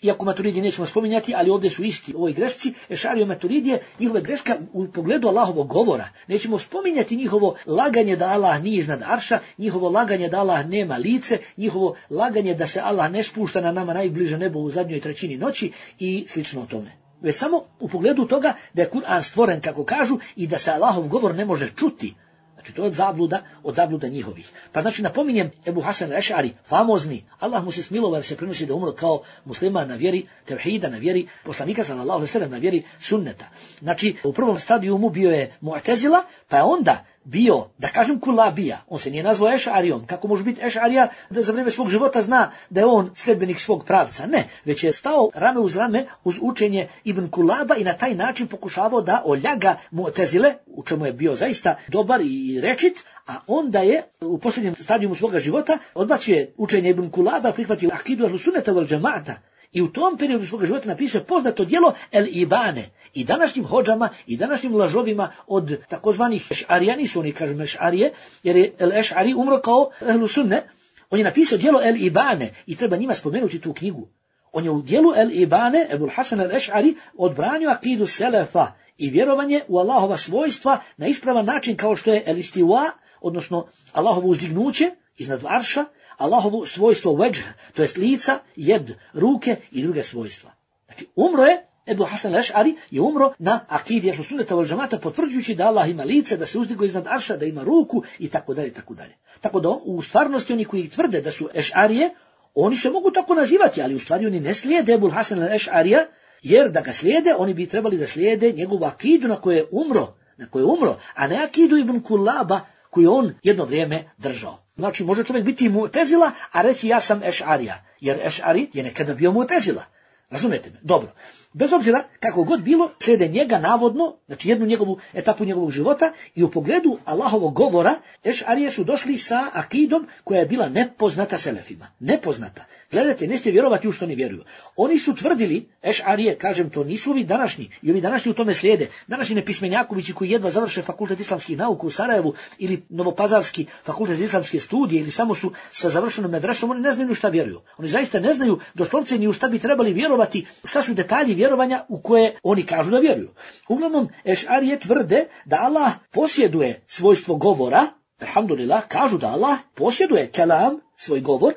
iako Maturidije nećemo spominjati, ali ovdje su isti ovoj grešci, Eš'arija i Maturidije, njihove greška u pogledu Allahovog govora. Nećemo spominjati njihovo laganje da Allah nije iznad arša, njihovo laganje da Allah nema lice, njihovo laganje da se Allah ne spušta na nama najbliže nebo u zadnjoj trećini noći i slično tome. Već samo u pogledu toga da je Kur'an stvoren, kako kažu, i da se Allahov govor ne može čuti. Znači to je od zabluda, od zabluda njihovih. Pa znači napominjem Ebu Hasan al-Eš'ari, famozni, Allah mu se smilovao jer se prenosi da umro kao musliman na vjeri tevhida, na vjeri poslanika sallallahu alejhi ve sellem, na vjeri sunneta. Znači u prvom stadiju mu bio je Mu'tezila, pa je onda bio, da kažem kulabija, on se nije nazvao ešarijom, kako može biti ešarija da za vrijeme svog života zna da je on sledbenik svog pravca, ne, već je stao rame uz rame uz učenje Ibn Kulaba i na taj način pokušavao da oljaga Mu'tezile, u čemu je bio zaista dobar i rečit, a onda je u posljednjem stadijumu svoga života odbacio učenje Ibn Kulaba, prihvatio akidu ahlu sunneta wal džemata. I u tom periodu svoga života napisao poznato djelo El Ibane. I današnjim hodžama i današnjim lažovima od takozvanih ešarija, nisu oni kažu ešarije, jer je El Ešari umro kao ehlu sunne, on je napisao djelo El Ibane i treba njima spomenuti tu knjigu. On je u djelu El Ibane, Ebul Hasan El Ešari, odbranio akidu selefa i vjerovanje u Allahova svojstva na ispravan način kao što je El Istiwa, odnosno Allahovo uzdignuće iznad arša, Allahovo svojstvo veđh, to jest lica, jed, ruke i druge svojstva. Znači, umro je, Ebu Hasan al-Eš'ari je umro na akidi ahlu sunneta wal džemata, potvrđujući da Allah ima lice, da se uzdigo iznad arša, da ima ruku i tako dalje, tako dalje. Tako da u stvarnosti oni koji tvrde da su ešarije, oni se mogu tako nazivati, ali u stvari oni ne slijede Ebu Hasan al-Eš'arija, jer da ga slijede, oni bi trebali da slijede njegovu akidu na koje je umro, na koje je umro, a ne akidu Ibn Kulaba koju on jedno vrijeme držao. Znači, može čovjek biti i Mu'tezila, a reći ja sam ešarija, jer ešari je nekada bio Mu'tezila. Razumete me? Dobro. Bez obzira kako god bilo, slijede njega navodno, znači jednu njegovu etapu njegovog života i u pogledu Allahovog govora, ešarije su došli sa akidom koja je bila nepoznata selefima. Nepoznata. Gledajte, nećete vjerovati u što ne vjeruju. Oni su tvrdili, ešarije, kažem, to nisu ovi današnji, i ovi današnji u tome slijede. Današnji nepismenjakovići koji jedva završe fakultet islamskih nauka u Sarajevu ili Novopazarski fakultet islamske studije ili samo su sa završenom medresom, oni ne znaju šta vjeruju. Oni zaista ne znaju doslovce ni u šta bi trebali vjerovati, šta su detalji vjerovanja u koje oni kažu da vjeruju. Uglavnom, ešarije tvrde da Allah posjeduje svojstvo govora, alhamdulillah, kažu da Allah posjeduje kelam, svoj govor,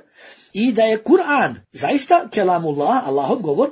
i da je Kur'an zaista kelamullah, Allahov govor,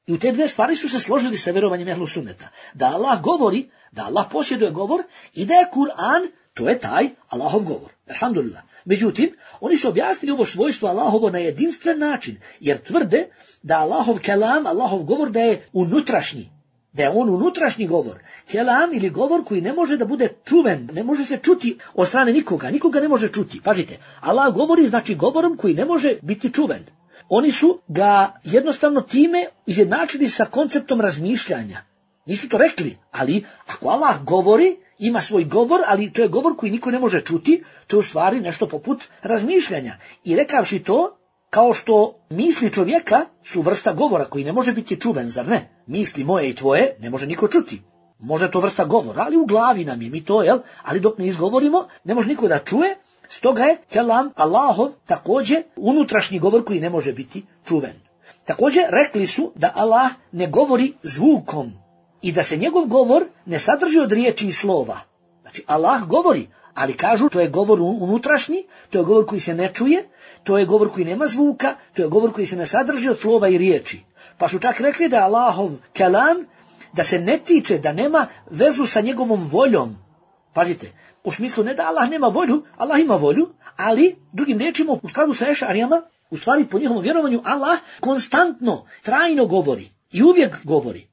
i u te dve stvari su se složili sa vjerovanjem ehlu sunneta. Da Allah govori, da Allah posjeduje govor i da je Kur'an, to je taj Allahov govor. Alhamdulillah. Međutim, oni su objasnili ovo svojstvo Allahovo na jedinstven način, jer tvrde da Allahov kelam, Allahov govor da je unutrašnji, da je on unutrašnji govor. Kelam ili govor koji ne može da bude čuven, ne može se čuti od strane nikoga, nikoga ne može čuti. Pazite, Allah govori znači govorom koji ne može biti čuven. Oni su ga jednostavno time izjednačili sa konceptom razmišljanja. Nisu to rekli, ali ako Allah govori, ima svoj govor, ali to je govor koji niko ne može čuti, to je u stvari nešto poput razmišljanja. I rekavši to, kao što misli čovjeka su vrsta govora koji ne može biti čuven, zar ne? Misli moje i tvoje ne može niko čuti. Možda to vrsta govora, ali u glavi nam je mi to, jel? Ali dok ne izgovorimo, ne može niko da čuje, stoga je kelam Allahov također unutrašnji govor koji ne može biti čuven. Također rekli su da Allah ne govori zvukom i da se njegov govor ne sadrži od riječi i slova. Znači Allah govori, ali kažu to je govor unutrašnji, to je govor koji se ne čuje, to je govor koji nema zvuka, to je govor koji se ne sadrži od slova i riječi. Pa su čak rekli da je Allahov kelam, da se ne tiče, da nema vezu sa njegovom voljom. Pazite, u smislu ne da Allah nema volju, Allah ima volju, ali drugim riječima u skladu sa ešarijama, u stvari po njihovom vjerovanju Allah konstantno, trajno govori i uvijek govori.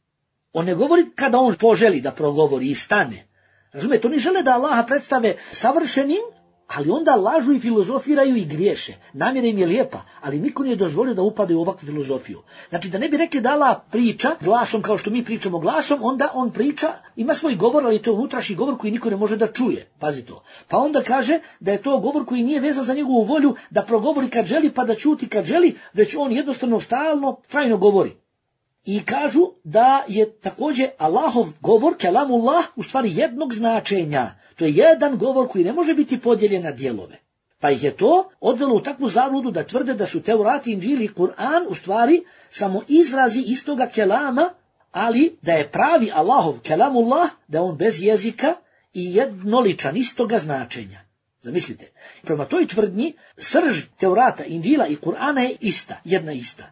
On ne govori kada on poželi da progovori i stane. Razumijete, oni žele da Allaha predstave savršenim, ali onda lažu i filozofiraju i griješe. Namjera im je lijepa, ali niko nije dozvolio da upadaju u ovakvu filozofiju. Znači da ne bi rekli da Allah priča glasom kao što mi pričamo glasom, onda on priča, ima svoj govor, ali to je unutrašnji govor koji niko ne može da čuje. Pazi to. Pa onda kaže da je to govor koji nije vezan za njegovu volju da progovori kad želi pa da ćuti kad želi, već on jednostavno stalno, trajno govori. I kažu da je također Allahov govor, kelamullah, u stvari jednog značenja. To je jedan govor koji ne može biti podijeljen na dijelove. Pa ih je to odvelo u takvu zabludu da tvrde da su Teurat, Inđil i Kur'an u stvari samo izrazi istoga kelama, ali da je pravi Allahov kelamullah, da je on bez jezika i jednoličan istoga značenja. Zamislite, prema toj tvrdnji srž Teurata, Inđila i Kur'ana je ista, jedna ista.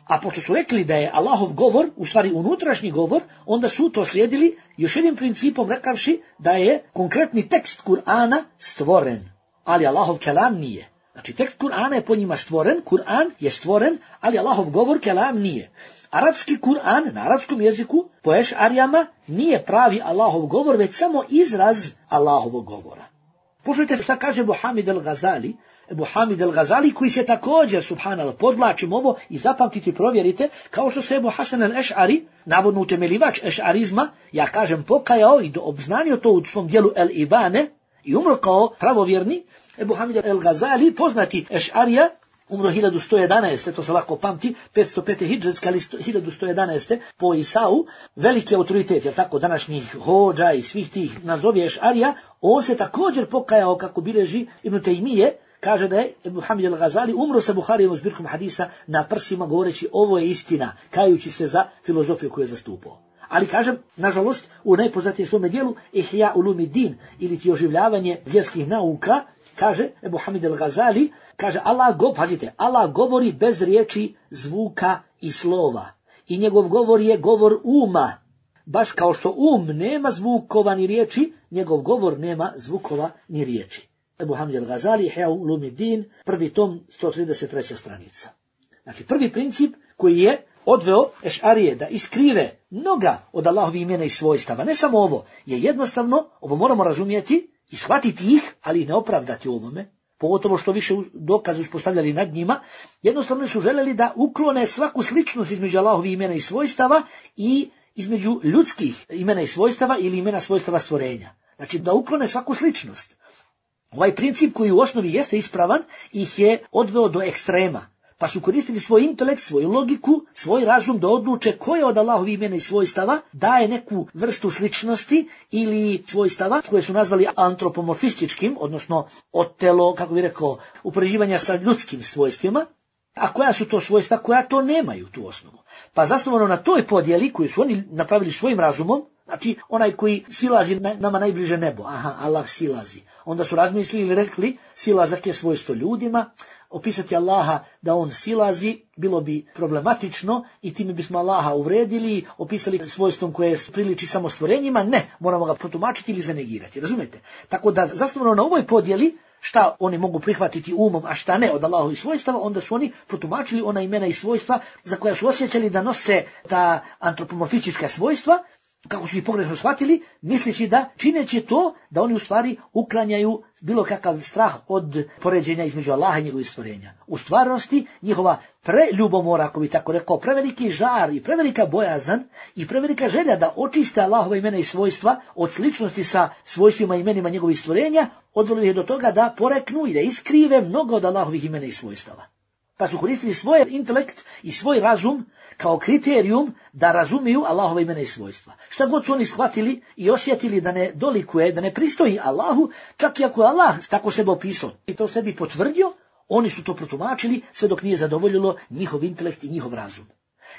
A pošto su rekli da je Allahov govor, u stvari unutrašnji govor, onda su to slijedili još jednim principom rekavši da je konkretni tekst Kur'ana stvoren, ali Allahov kelam nije. Znači, tekst Kur'ana je po njima stvoren, Kur'an je stvoren, ali Allahov govor, kelam, nije. Arapski Kur'an na arapskom jeziku po ešarijama nije pravi Allahov govor, već samo izraz Allahovog govora. Poslušajte šta kaže Ebu Hamid el-Gazali, Ebu Hamid el-Gazali koji se također, subhanallah, podvlačim ovo i zapamtite i provjerite, kao što se Ebu Hasan el-Eš'ari, navodno utemelivač ešarizma, ja kažem pokajao i obznanio to u svom dijelu El-Ibane i umro kao pravovjerni. Ebu Hamid el-Gazali, poznati ešarija, umro hiljadu sto jedanaeste. to se lako pamti, petsto pete hidžetska, ali hiljadu sto jedanaeste. po Isau, veliki autoritet, jer tako, današnjih hođa i svih tih nazovi ešarija, on se također pokajao, kako bilježi Ibn Tejmije, kaže da je Ebu Hamid el-Gazali umro sa Buharijevom zbirkom hadisa na prsima, govoreći ovo je istina, kajući se za filozofiju koju je zastupao. Ali kažem, nažalost, u najpoznatijem svome dijelu Ihya Ulumuddin, ili ti oživljavanje vjerskih nauka, kaže Ebu Hamid el-Gazali, kaže Allah, go, pazite, Allah govori bez riječi, zvuka i slova. I njegov govor je govor uma. Baš kao što um nema zvukova ni riječi, njegov govor nema zvukova ni riječi. Ebu Hamid el-Gazali, Ihya Ulumuddin, prvi tom, sto trideset treća stranica. Znači, prvi princip koji je odveo ešarije da iskrive mnoga od Allahovih imena i svojstava, ne samo ovo, je jednostavno, ovo moramo razumjeti i shvatiti ih, ali i ne opravdati ovome, pogotovo što više dokaze uspostavljali nad njima, jednostavno su željeli da uklone svaku sličnost između Allahovih imena i svojstava i između ljudskih imena i svojstava ili imena svojstava stvorenja. Znači, da uklone svaku sličnost. Ovaj princip koji u osnovi jeste ispravan ih je odveo do ekstrema, pa su koristili svoj intelekt, svoju logiku, svoj razum da odluče koje od Allahovih imena i svojstava daje neku vrstu sličnosti ili svojstava koje su nazvali antropomorfističkim, odnosno otelo, kako bi rekao, upoređivanja sa ljudskim svojstvima, a koja su to svojstva koja to nemaju tu osnovu. Pa zasnovano na toj podjeli koju su oni napravili svojim razumom, znači onaj koji silazi na, nama najbliže nebo, aha, Allah silazi. Onda su razmislili i rekli, silazak je svojstvo ljudima, opisati Allaha da on silazi bilo bi problematično i time bismo Allaha uvredili, opisali svojstvom koje priliči samo stvorenjima, ne, moramo ga protumačiti ili zanegirati, razumijete? Tako da zasnovano na ovoj podjeli, šta oni mogu prihvatiti umom, a šta ne od Allahovih svojstava, onda su oni protumačili ona imena i svojstva za koja su osjećali da nose ta antropomorfistička svojstva, kako su ih pogrešno shvatili, misleći da čineći to, da oni u stvari uklanjaju bilo kakav strah od poređenja između Allaha i njegovih stvorenja. U stvarnosti njihova preljubomora, ako bi tako rekao, preveliki žar i prevelika bojazan i prevelika želja da očiste Allahova imena i svojstva od sličnosti sa svojstvima i imenima njegovih stvorenja, odvelo ih do toga da poreknu i da iskrive mnogo od Allahovih imena i svojstava. Pa su koristili svoj intelekt i svoj razum kao kriterijum da razumiju Allahova imena i svojstva. Šta god su oni shvatili i osjetili da ne dolikuje, da ne pristoji Allahu, čak i ako je Allah tako sebe opisao i to sebi potvrdio, oni su to protumačili sve dok nije zadovoljilo njihov intelekt i njihov razum.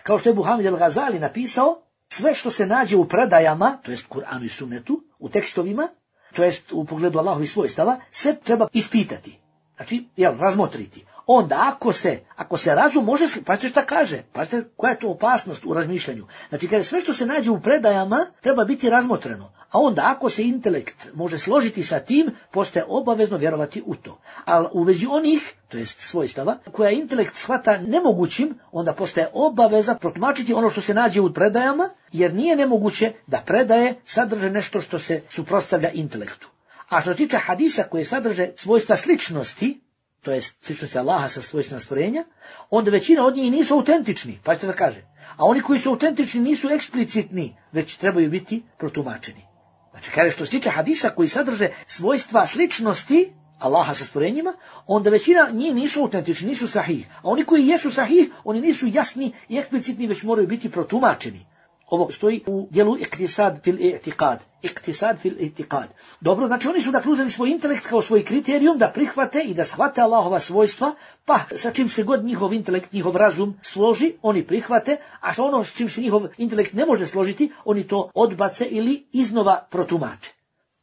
Kao što je Ebu Hamid el-Gazali napisao, sve što se nađe u predajama, to jest Kur'anu i Sunnetu, u tekstovima, to jest u pogledu Allahovih svojstava, sve treba ispitati. Znači, jel, razmotriti. Onda ako se, ako se razum može, pazite šta kaže, pazite koja je to opasnost u razmišljanju. Znači kada sve što se nađe u predajama treba biti razmotreno, a onda ako se intelekt može složiti sa tim, postaje obavezno vjerovati u to. Ali u vezi onih, to jest svojstava, koja intelekt shvata nemogućim, onda postaje obaveza protumačiti ono što se nađe u predajama, jer nije nemoguće da predaje sadrže nešto što se suprotstavlja intelektu. A što se tiče hadisa koje sadrže svojstva sličnosti, to je sličnosti Allaha sa svojstvima stvorenja, onda većina od njih nisu autentični, pa ćete da kaže. A oni koji su autentični nisu eksplicitni, već trebaju biti protumačeni. Znači, kaže što se tiče hadisa koji sadrže svojstva sličnosti Allaha sa stvorenjima, onda većina njih nisu autentični, nisu sahih. A oni koji jesu sahih, oni nisu jasni i eksplicitni, već moraju biti protumačeni. Ovo stoji u dijelu iktisad fil i'tiqad. Iktisad fil i'tiqad. Dobro, znači oni su dakle uzeli svoj intelekt kao svoj kriterijum da prihvate i da shvate Allahova svojstva, pa sa čim se god njihov intelekt, njihov razum složi, oni prihvate, a sa ono s čim se njihov intelekt ne može složiti, oni to odbace ili iznova protumače.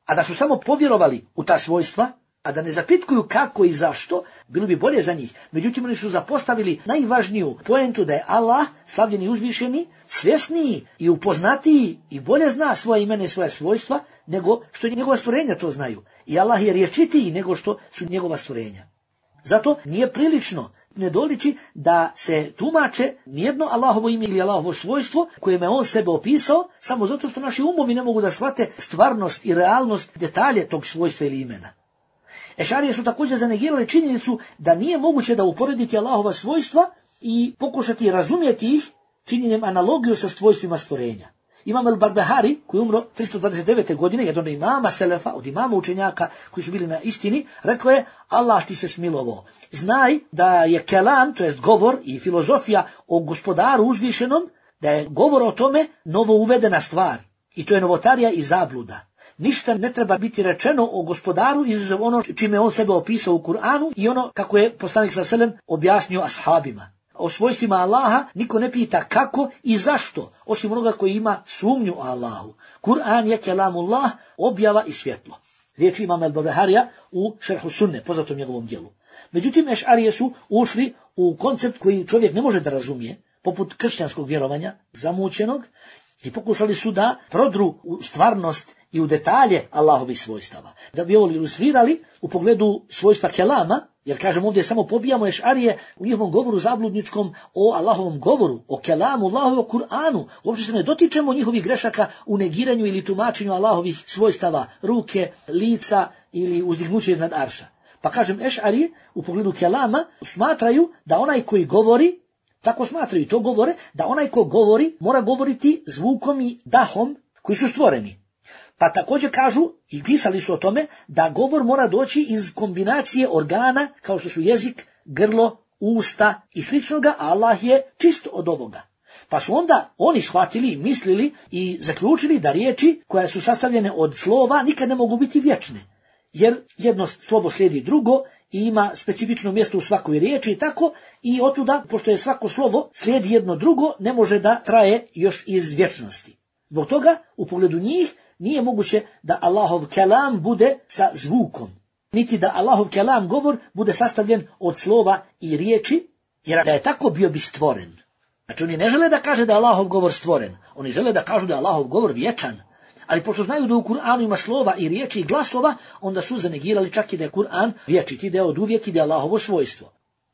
A da su samo povjerovali u ta svojstva, a da ne zapitkuju kako i zašto, bilo bi bolje za njih. Međutim, oni su zapostavili najvažniju poentu da je Allah, slavljeni i uzvišeni, svjesniji i upoznatiji i bolje zna svoje imene i svoje svojstva, nego što njegova stvorenja to znaju. I Allah je rječitiji nego što su njegova stvorenja. Zato nije prilično, ne doliči da se tumače nijedno Allahovo ime ili Allahovo svojstvo kojima je on sebe opisao, samo zato što naši umovi ne mogu da shvate stvarnost i realnost detalje tog svojstva ili imena. Ešarije su također zanegirali činjenicu da nije moguće da uporediti Allahova svojstva i pokušati razumjeti ih činjenjem analogiju sa svojstvima stvorenja. Imam el-Barbahari, koji je umro tristo dvadeset devete godine, jedan od imama Selefa, od imama učenjaka koji su bili na istini, rekao je: Allah ti se smilovao. Znaj da je kelam, to jest govor i filozofija o gospodaru uzvišenom, da je govor o tome novo uvedena stvar. I to je novotarija i zabluda. Ništa ne treba biti rečeno o gospodaru izuzev ono čime on sebe opisao u Kur'anu i ono kako je poslanik sallallahu alejhi ve sellem objasnio ashabima. O svojstvima Allaha niko ne pita kako i zašto, osim onoga koji ima sumnju o Allahu. Kur'an je kelamullah, objava i svjetlo. Riječ imama el-Barbaharija u Šerhu Sunne, poznatom njegovom djelu. Međutim, Ešarije su ušli u koncept koji čovjek ne može da razumije, poput kršćanskog vjerovanja, zamućenog, i pokušali su da prodru u stvarnost i u detalje Allahovih svojstava. Da bi ovo ilustrirali u pogledu svojstva kelama, jer kažem ovdje samo pobijamo Ešarije u njihovom govoru zabludničkom o Allahovom govoru, o kelamu, Allahu, o Kur'anu. Uopće se ne dotičemo njihovih grešaka u negiranju ili tumačenju Allahovih svojstava, ruke, lica ili uzdignuće iznad arša. Pa kažem, Ešarije u pogledu kelama smatraju da onaj koji govori, tako smatraju, to govore, da onaj ko govori mora govoriti zvukom i dahom koji su stvoreni. Pa također kažu, i pisali su o tome, da govor mora doći iz kombinacije organa, kao što su jezik, grlo, usta i sličnoga, a Allah je čist od ovoga. Pa su onda oni shvatili, mislili i zaključili da riječi koje su sastavljene od slova nikad ne mogu biti vječne. Jer jedno slovo slijedi drugo i ima specifično mjesto u svakoj riječi i tako, i otuda, pošto je svako slovo slijedi jedno drugo, ne može da traje još iz vječnosti. Zbog toga, u pogledu njih, nije moguće da Allahov kelam bude sa zvukom, niti da Allahov kelam govor bude sastavljen od slova i riječi, jer da je tako bio bi stvoren. Znači oni ne žele da kaže da je Allahov govor stvoren, oni žele da kažu da je Allahov govor vječan, ali pošto znaju da u Kur'anu ima slova i riječi i glasova, onda su zanegirali čak i da je Kur'an vječiti, da je od uvijek i da je Allahovo svojstvo.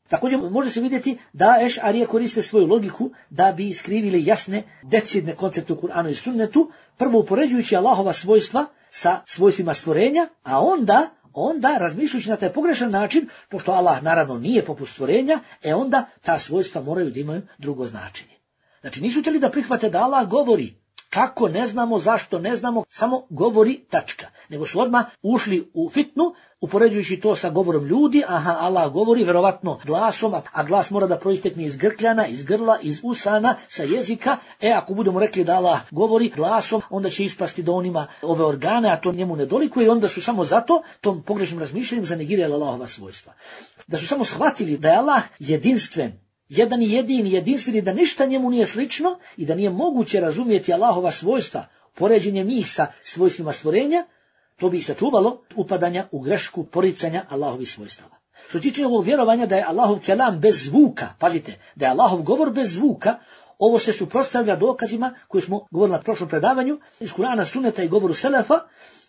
Također može se vidjeti da Ešarije koriste svoju logiku da bi iskrivili jasne, decidne koncepte u Kur'anu i sunnetu, prvo upoređujući Allahova svojstva sa svojstvima stvorenja, a onda, onda razmišljajući na taj pogrešan način, pošto Allah naravno nije poput stvorenja, e onda ta svojstva moraju da imaju drugo značenje. Znači nisu htjeli da prihvate da Allah govori. Kako, ne znamo, zašto, ne znamo, samo govori, tačka. Nego su odmah ušli u fitnu, upoređujući to sa govorom ljudi, aha, Allah govori verovatno glasom, a glas mora da proistekne iz grkljana, iz grla, iz usana, sa jezika. E, ako budemo rekli da Allah govori glasom, onda će ispasti da on ima ove organe, a to njemu ne dolikuje, i onda su samo zato, tom pogrešnim razmišljanjem, zanegirali Allahova svojstva. Da su samo shvatili da je Allah jedinstven, jedan i jedini, jedinstveni, da ništa njemu nije slično i da nije moguće razumjeti Allahova svojstva poređenjem njih sa svojstvima stvorenja, to bi se čuvalo upadanja u grešku poricanja Allahovih svojstava. Što tiče ovog vjerovanja da je Allahov kelam bez zvuka, pazite, da je Allahov govor bez zvuka, ovo se suprotstavlja dokazima koje smo govorili na prošlom predavanju iz Kur'ana, Sunneta i govoru Selefa,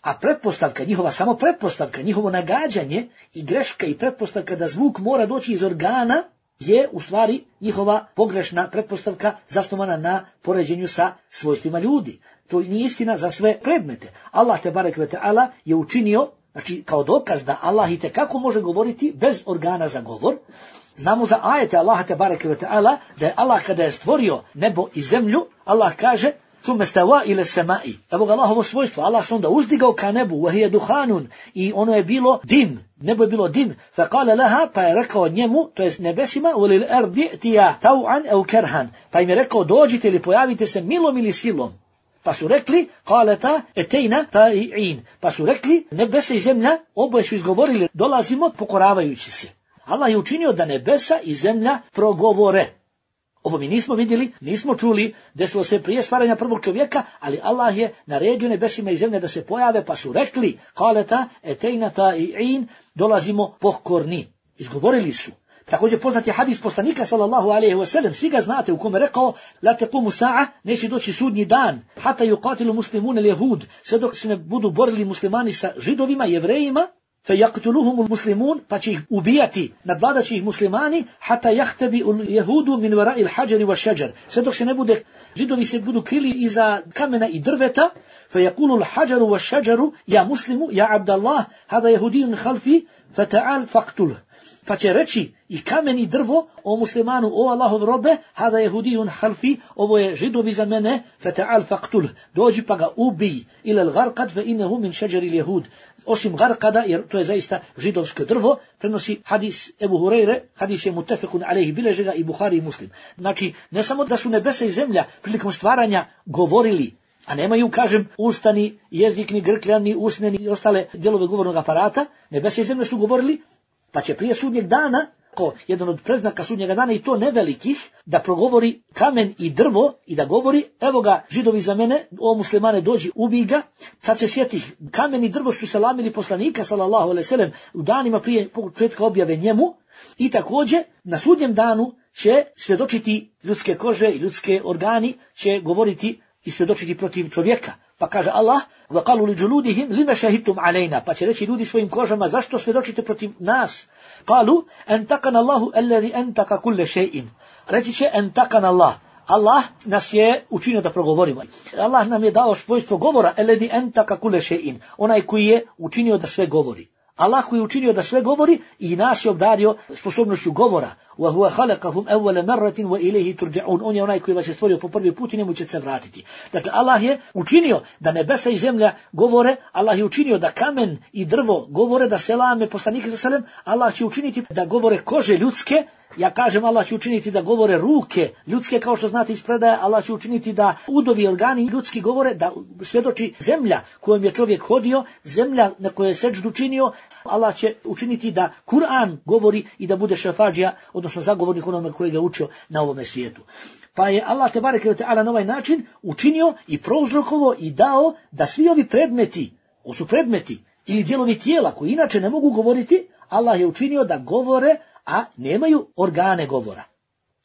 a pretpostavka, njihova samo pretpostavka, njihovo nagađanje i greška i pretpostavka da zvuk mora doći iz organa je u stvari njihova pogrešna pretpostavka zasnovana na poređenju sa svojstvima ljudi. To nije istina za sve predmete. Allah te barek ve ta'ala je učinio, znači kao dokaz da Allah itekako može govoriti bez organa za govor. Znamo za ajete Allaha te barek ve ta'ala da je Allah kada je stvorio nebo i zemlju, Allah kaže Summe stava ile semai. Evo ga Allahovo svojstvo. Allah se onda uzdigao ka nebu, vahije duhanun, i ono je bilo dim. Nebo je bilo dim. Fa kale laha, pa je rekao njemu, to jest nebesima, ulil erdi tija tau'an au kerhan. Pa im je rekao, dođite ili pojavite se milom ili silom. Pa su rekli, kaleta etejna ta'i'in. Pa su rekli, nebesa i zemlja, oboje su izgovorili, dolazimo pokoravajući se. Allah je učinio da nebesa i zemlja progovore. Ovo mi nismo vidjeli, nismo čuli, desilo se prije stvaranja prvog čovjeka, ali Allah je naredio nebesima i zemlje da se pojave, pa su rekli, kaleta etejna ta'i'in, dolazimo pokorni. Izgovorili su. Također poznat je hadis poslanika sallallahu alejhi ve sellem, svi ga znate, u kome rekao, la taqumu sa'a, neće doći sudnji dan, hata yuqatilu muslimun al-yahud, sve dok se ne budu borili muslimani sa židovima, jevrejima, فَيَقْتُلُهُمُ الْمُسْلِمُونَ pa će ih ubijati, nadvladat će ih muslimani, حَتَّى يَحْتَبِئُ الْيَهُودُ مِنْ وَرَاءِ الْحَجَرِ وَالشَّجَرِ sve dok se ne bude, židovi se budu krili iza kamena i drveta, فَيَقُولُ الْحَجَرُ وَالشَّجَرُ يَا مُسْلِمُ يَا عَبْدَ اللَّهِ هَذَا يَهُدِيٌّ خَلْفِي فَتَعَالْ فَقْتُلْهُ pa će reći i kamen i drvo o muslimanu, o Allahov robe, hada jehudijun halfi, ovo je židovi za mene, fata'al faqtul, dođi pa ga ubij, ila al-gharqad fa innahu min šeđeri l-jehud, osim garkada, jer to je zaista židovsko drvo, prenosi hadis Ebu Hureyre, hadis je mutefekun alejhi, bileže ga i Buhari i Muslim. Znači, ne samo da su nebesa i zemlja prilikom stvaranja govorili, a nemaju, kažem, ustani, jezik, ni grkljan, ni usne, ni ostale dijelove govornog aparata, nebesa i zemlje su govorili, pa će prije sudnjeg dana, ko jedan od predznaka sudnjega dana i to nevelikih, da progovori kamen i drvo i da govori, evo ga židovi za mene, o muslimane dođi, ubij ga. Sad se sjetih, kamen i drvo su selamili poslanika sallallahu alejhi ve sellem u danima prije početka objave njemu i također na sudnjem danu će svjedočiti ljudske kože i ljudske organi, će govoriti i svjedočiti protiv čovjeka. Pa kaže Allah, وَقَالُوا لِجُلُودِهِمْ لِمَ شَهِدْتُمْ عَلَيْنَا pa će reći ljudi svojim kožama, zašto svjedočite protiv nas? قَالُوا أَنْتَقَنَ اللَّهُ الَّذِي أَنْتَقَ كُلَّ شَيْءٍ reći će أَنْتَقَنَ اللَّهُ Allah nas je učinio da progovorimo. Allah nam je dao svojstvo govora, الَّذِي أَنْتَقَ كُلَّ شَيْءٍ onaj koji je učinio da sve govori. Allah koji je učinio da sve govori i nas je obdario sposobnošću govora. وَهُوَ خَلَقَهُمْ أَوَّلَ مَرَّةٍ وَإِلَيْهِ تُرْجَعُونَ on je onaj koji vas je stvorio po prvi put i njemu će se vratiti. Dakle, Allah je učinio da nebesa i zemlja govore, Allah je učinio da kamen i drvo govore, da selame poslanike za selem, Allah će učiniti da govore kože ljudske, ja kažem Allah će učiniti da govore ruke ljudske, kao što znate iz predaje, Allah će učiniti da udovi organi ljudski govore, da svjedoči zemlja kojom je čovjek hodio, zemlja na kojoj je seđdu činio, Allah će učiniti da Kur'an govori i da bude šefađija, odnosno zagovornik onome koji ga učio na ovome svijetu. Pa je Allah tebareke ve taala na ovaj način učinio i prouzrokovo i dao da svi ovi predmeti, ovo su predmeti ili dijelovi tijela koji inače ne mogu govoriti, Allah je učinio da govore, a nemaju organe govora.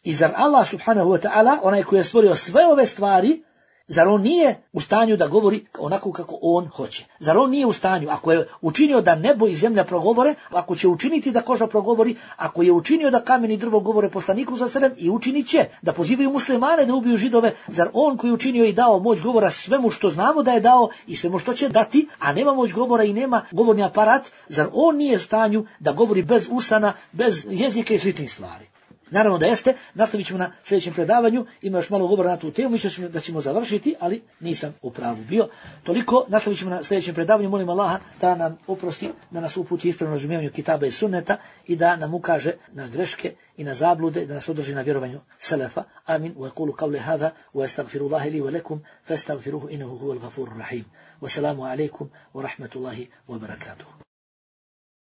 I zar Allah subhanahu wa ta'ala, onaj koji je stvorio sve ove stvari, zar on nije u stanju da govori onako kako on hoće? Zar on nije u stanju, ako je učinio da nebo i zemlja progovore, ako će učiniti da koža progovori, ako je učinio da kamen i drvo govore poslaniku za selem i učinit će da pozivaju muslimane da ubiju židove, zar on koji je učinio i dao moć govora svemu što znamo da je dao i svemu što će dati, a nema moć govora i nema govorni aparat, zar on nije u stanju da govori bez usana, bez jezika i sličnih stvari? Naravno da jeste, nastavit ćemo na sljedećem predavanju, ima još malo govora na tu temu, mislim da ćemo završiti, ali nisam u pravu bio. Toliko, nastavit ćemo na sljedećem predavanju, molim Allaha da nam oprosti, da nas uputi ispravno razumijevanju kitaba i sunneta i da nam ukaže na greške i na zablude, da nas održi na vjerovanju selefa. Amin. Wa yaqulu qawli hadha wa astaghfirullaha li wa lakum fastaghfiruhu innahu huwal ghafurur rahim. Wassalamu alaikum wa rahmatullahi wa barakatuh.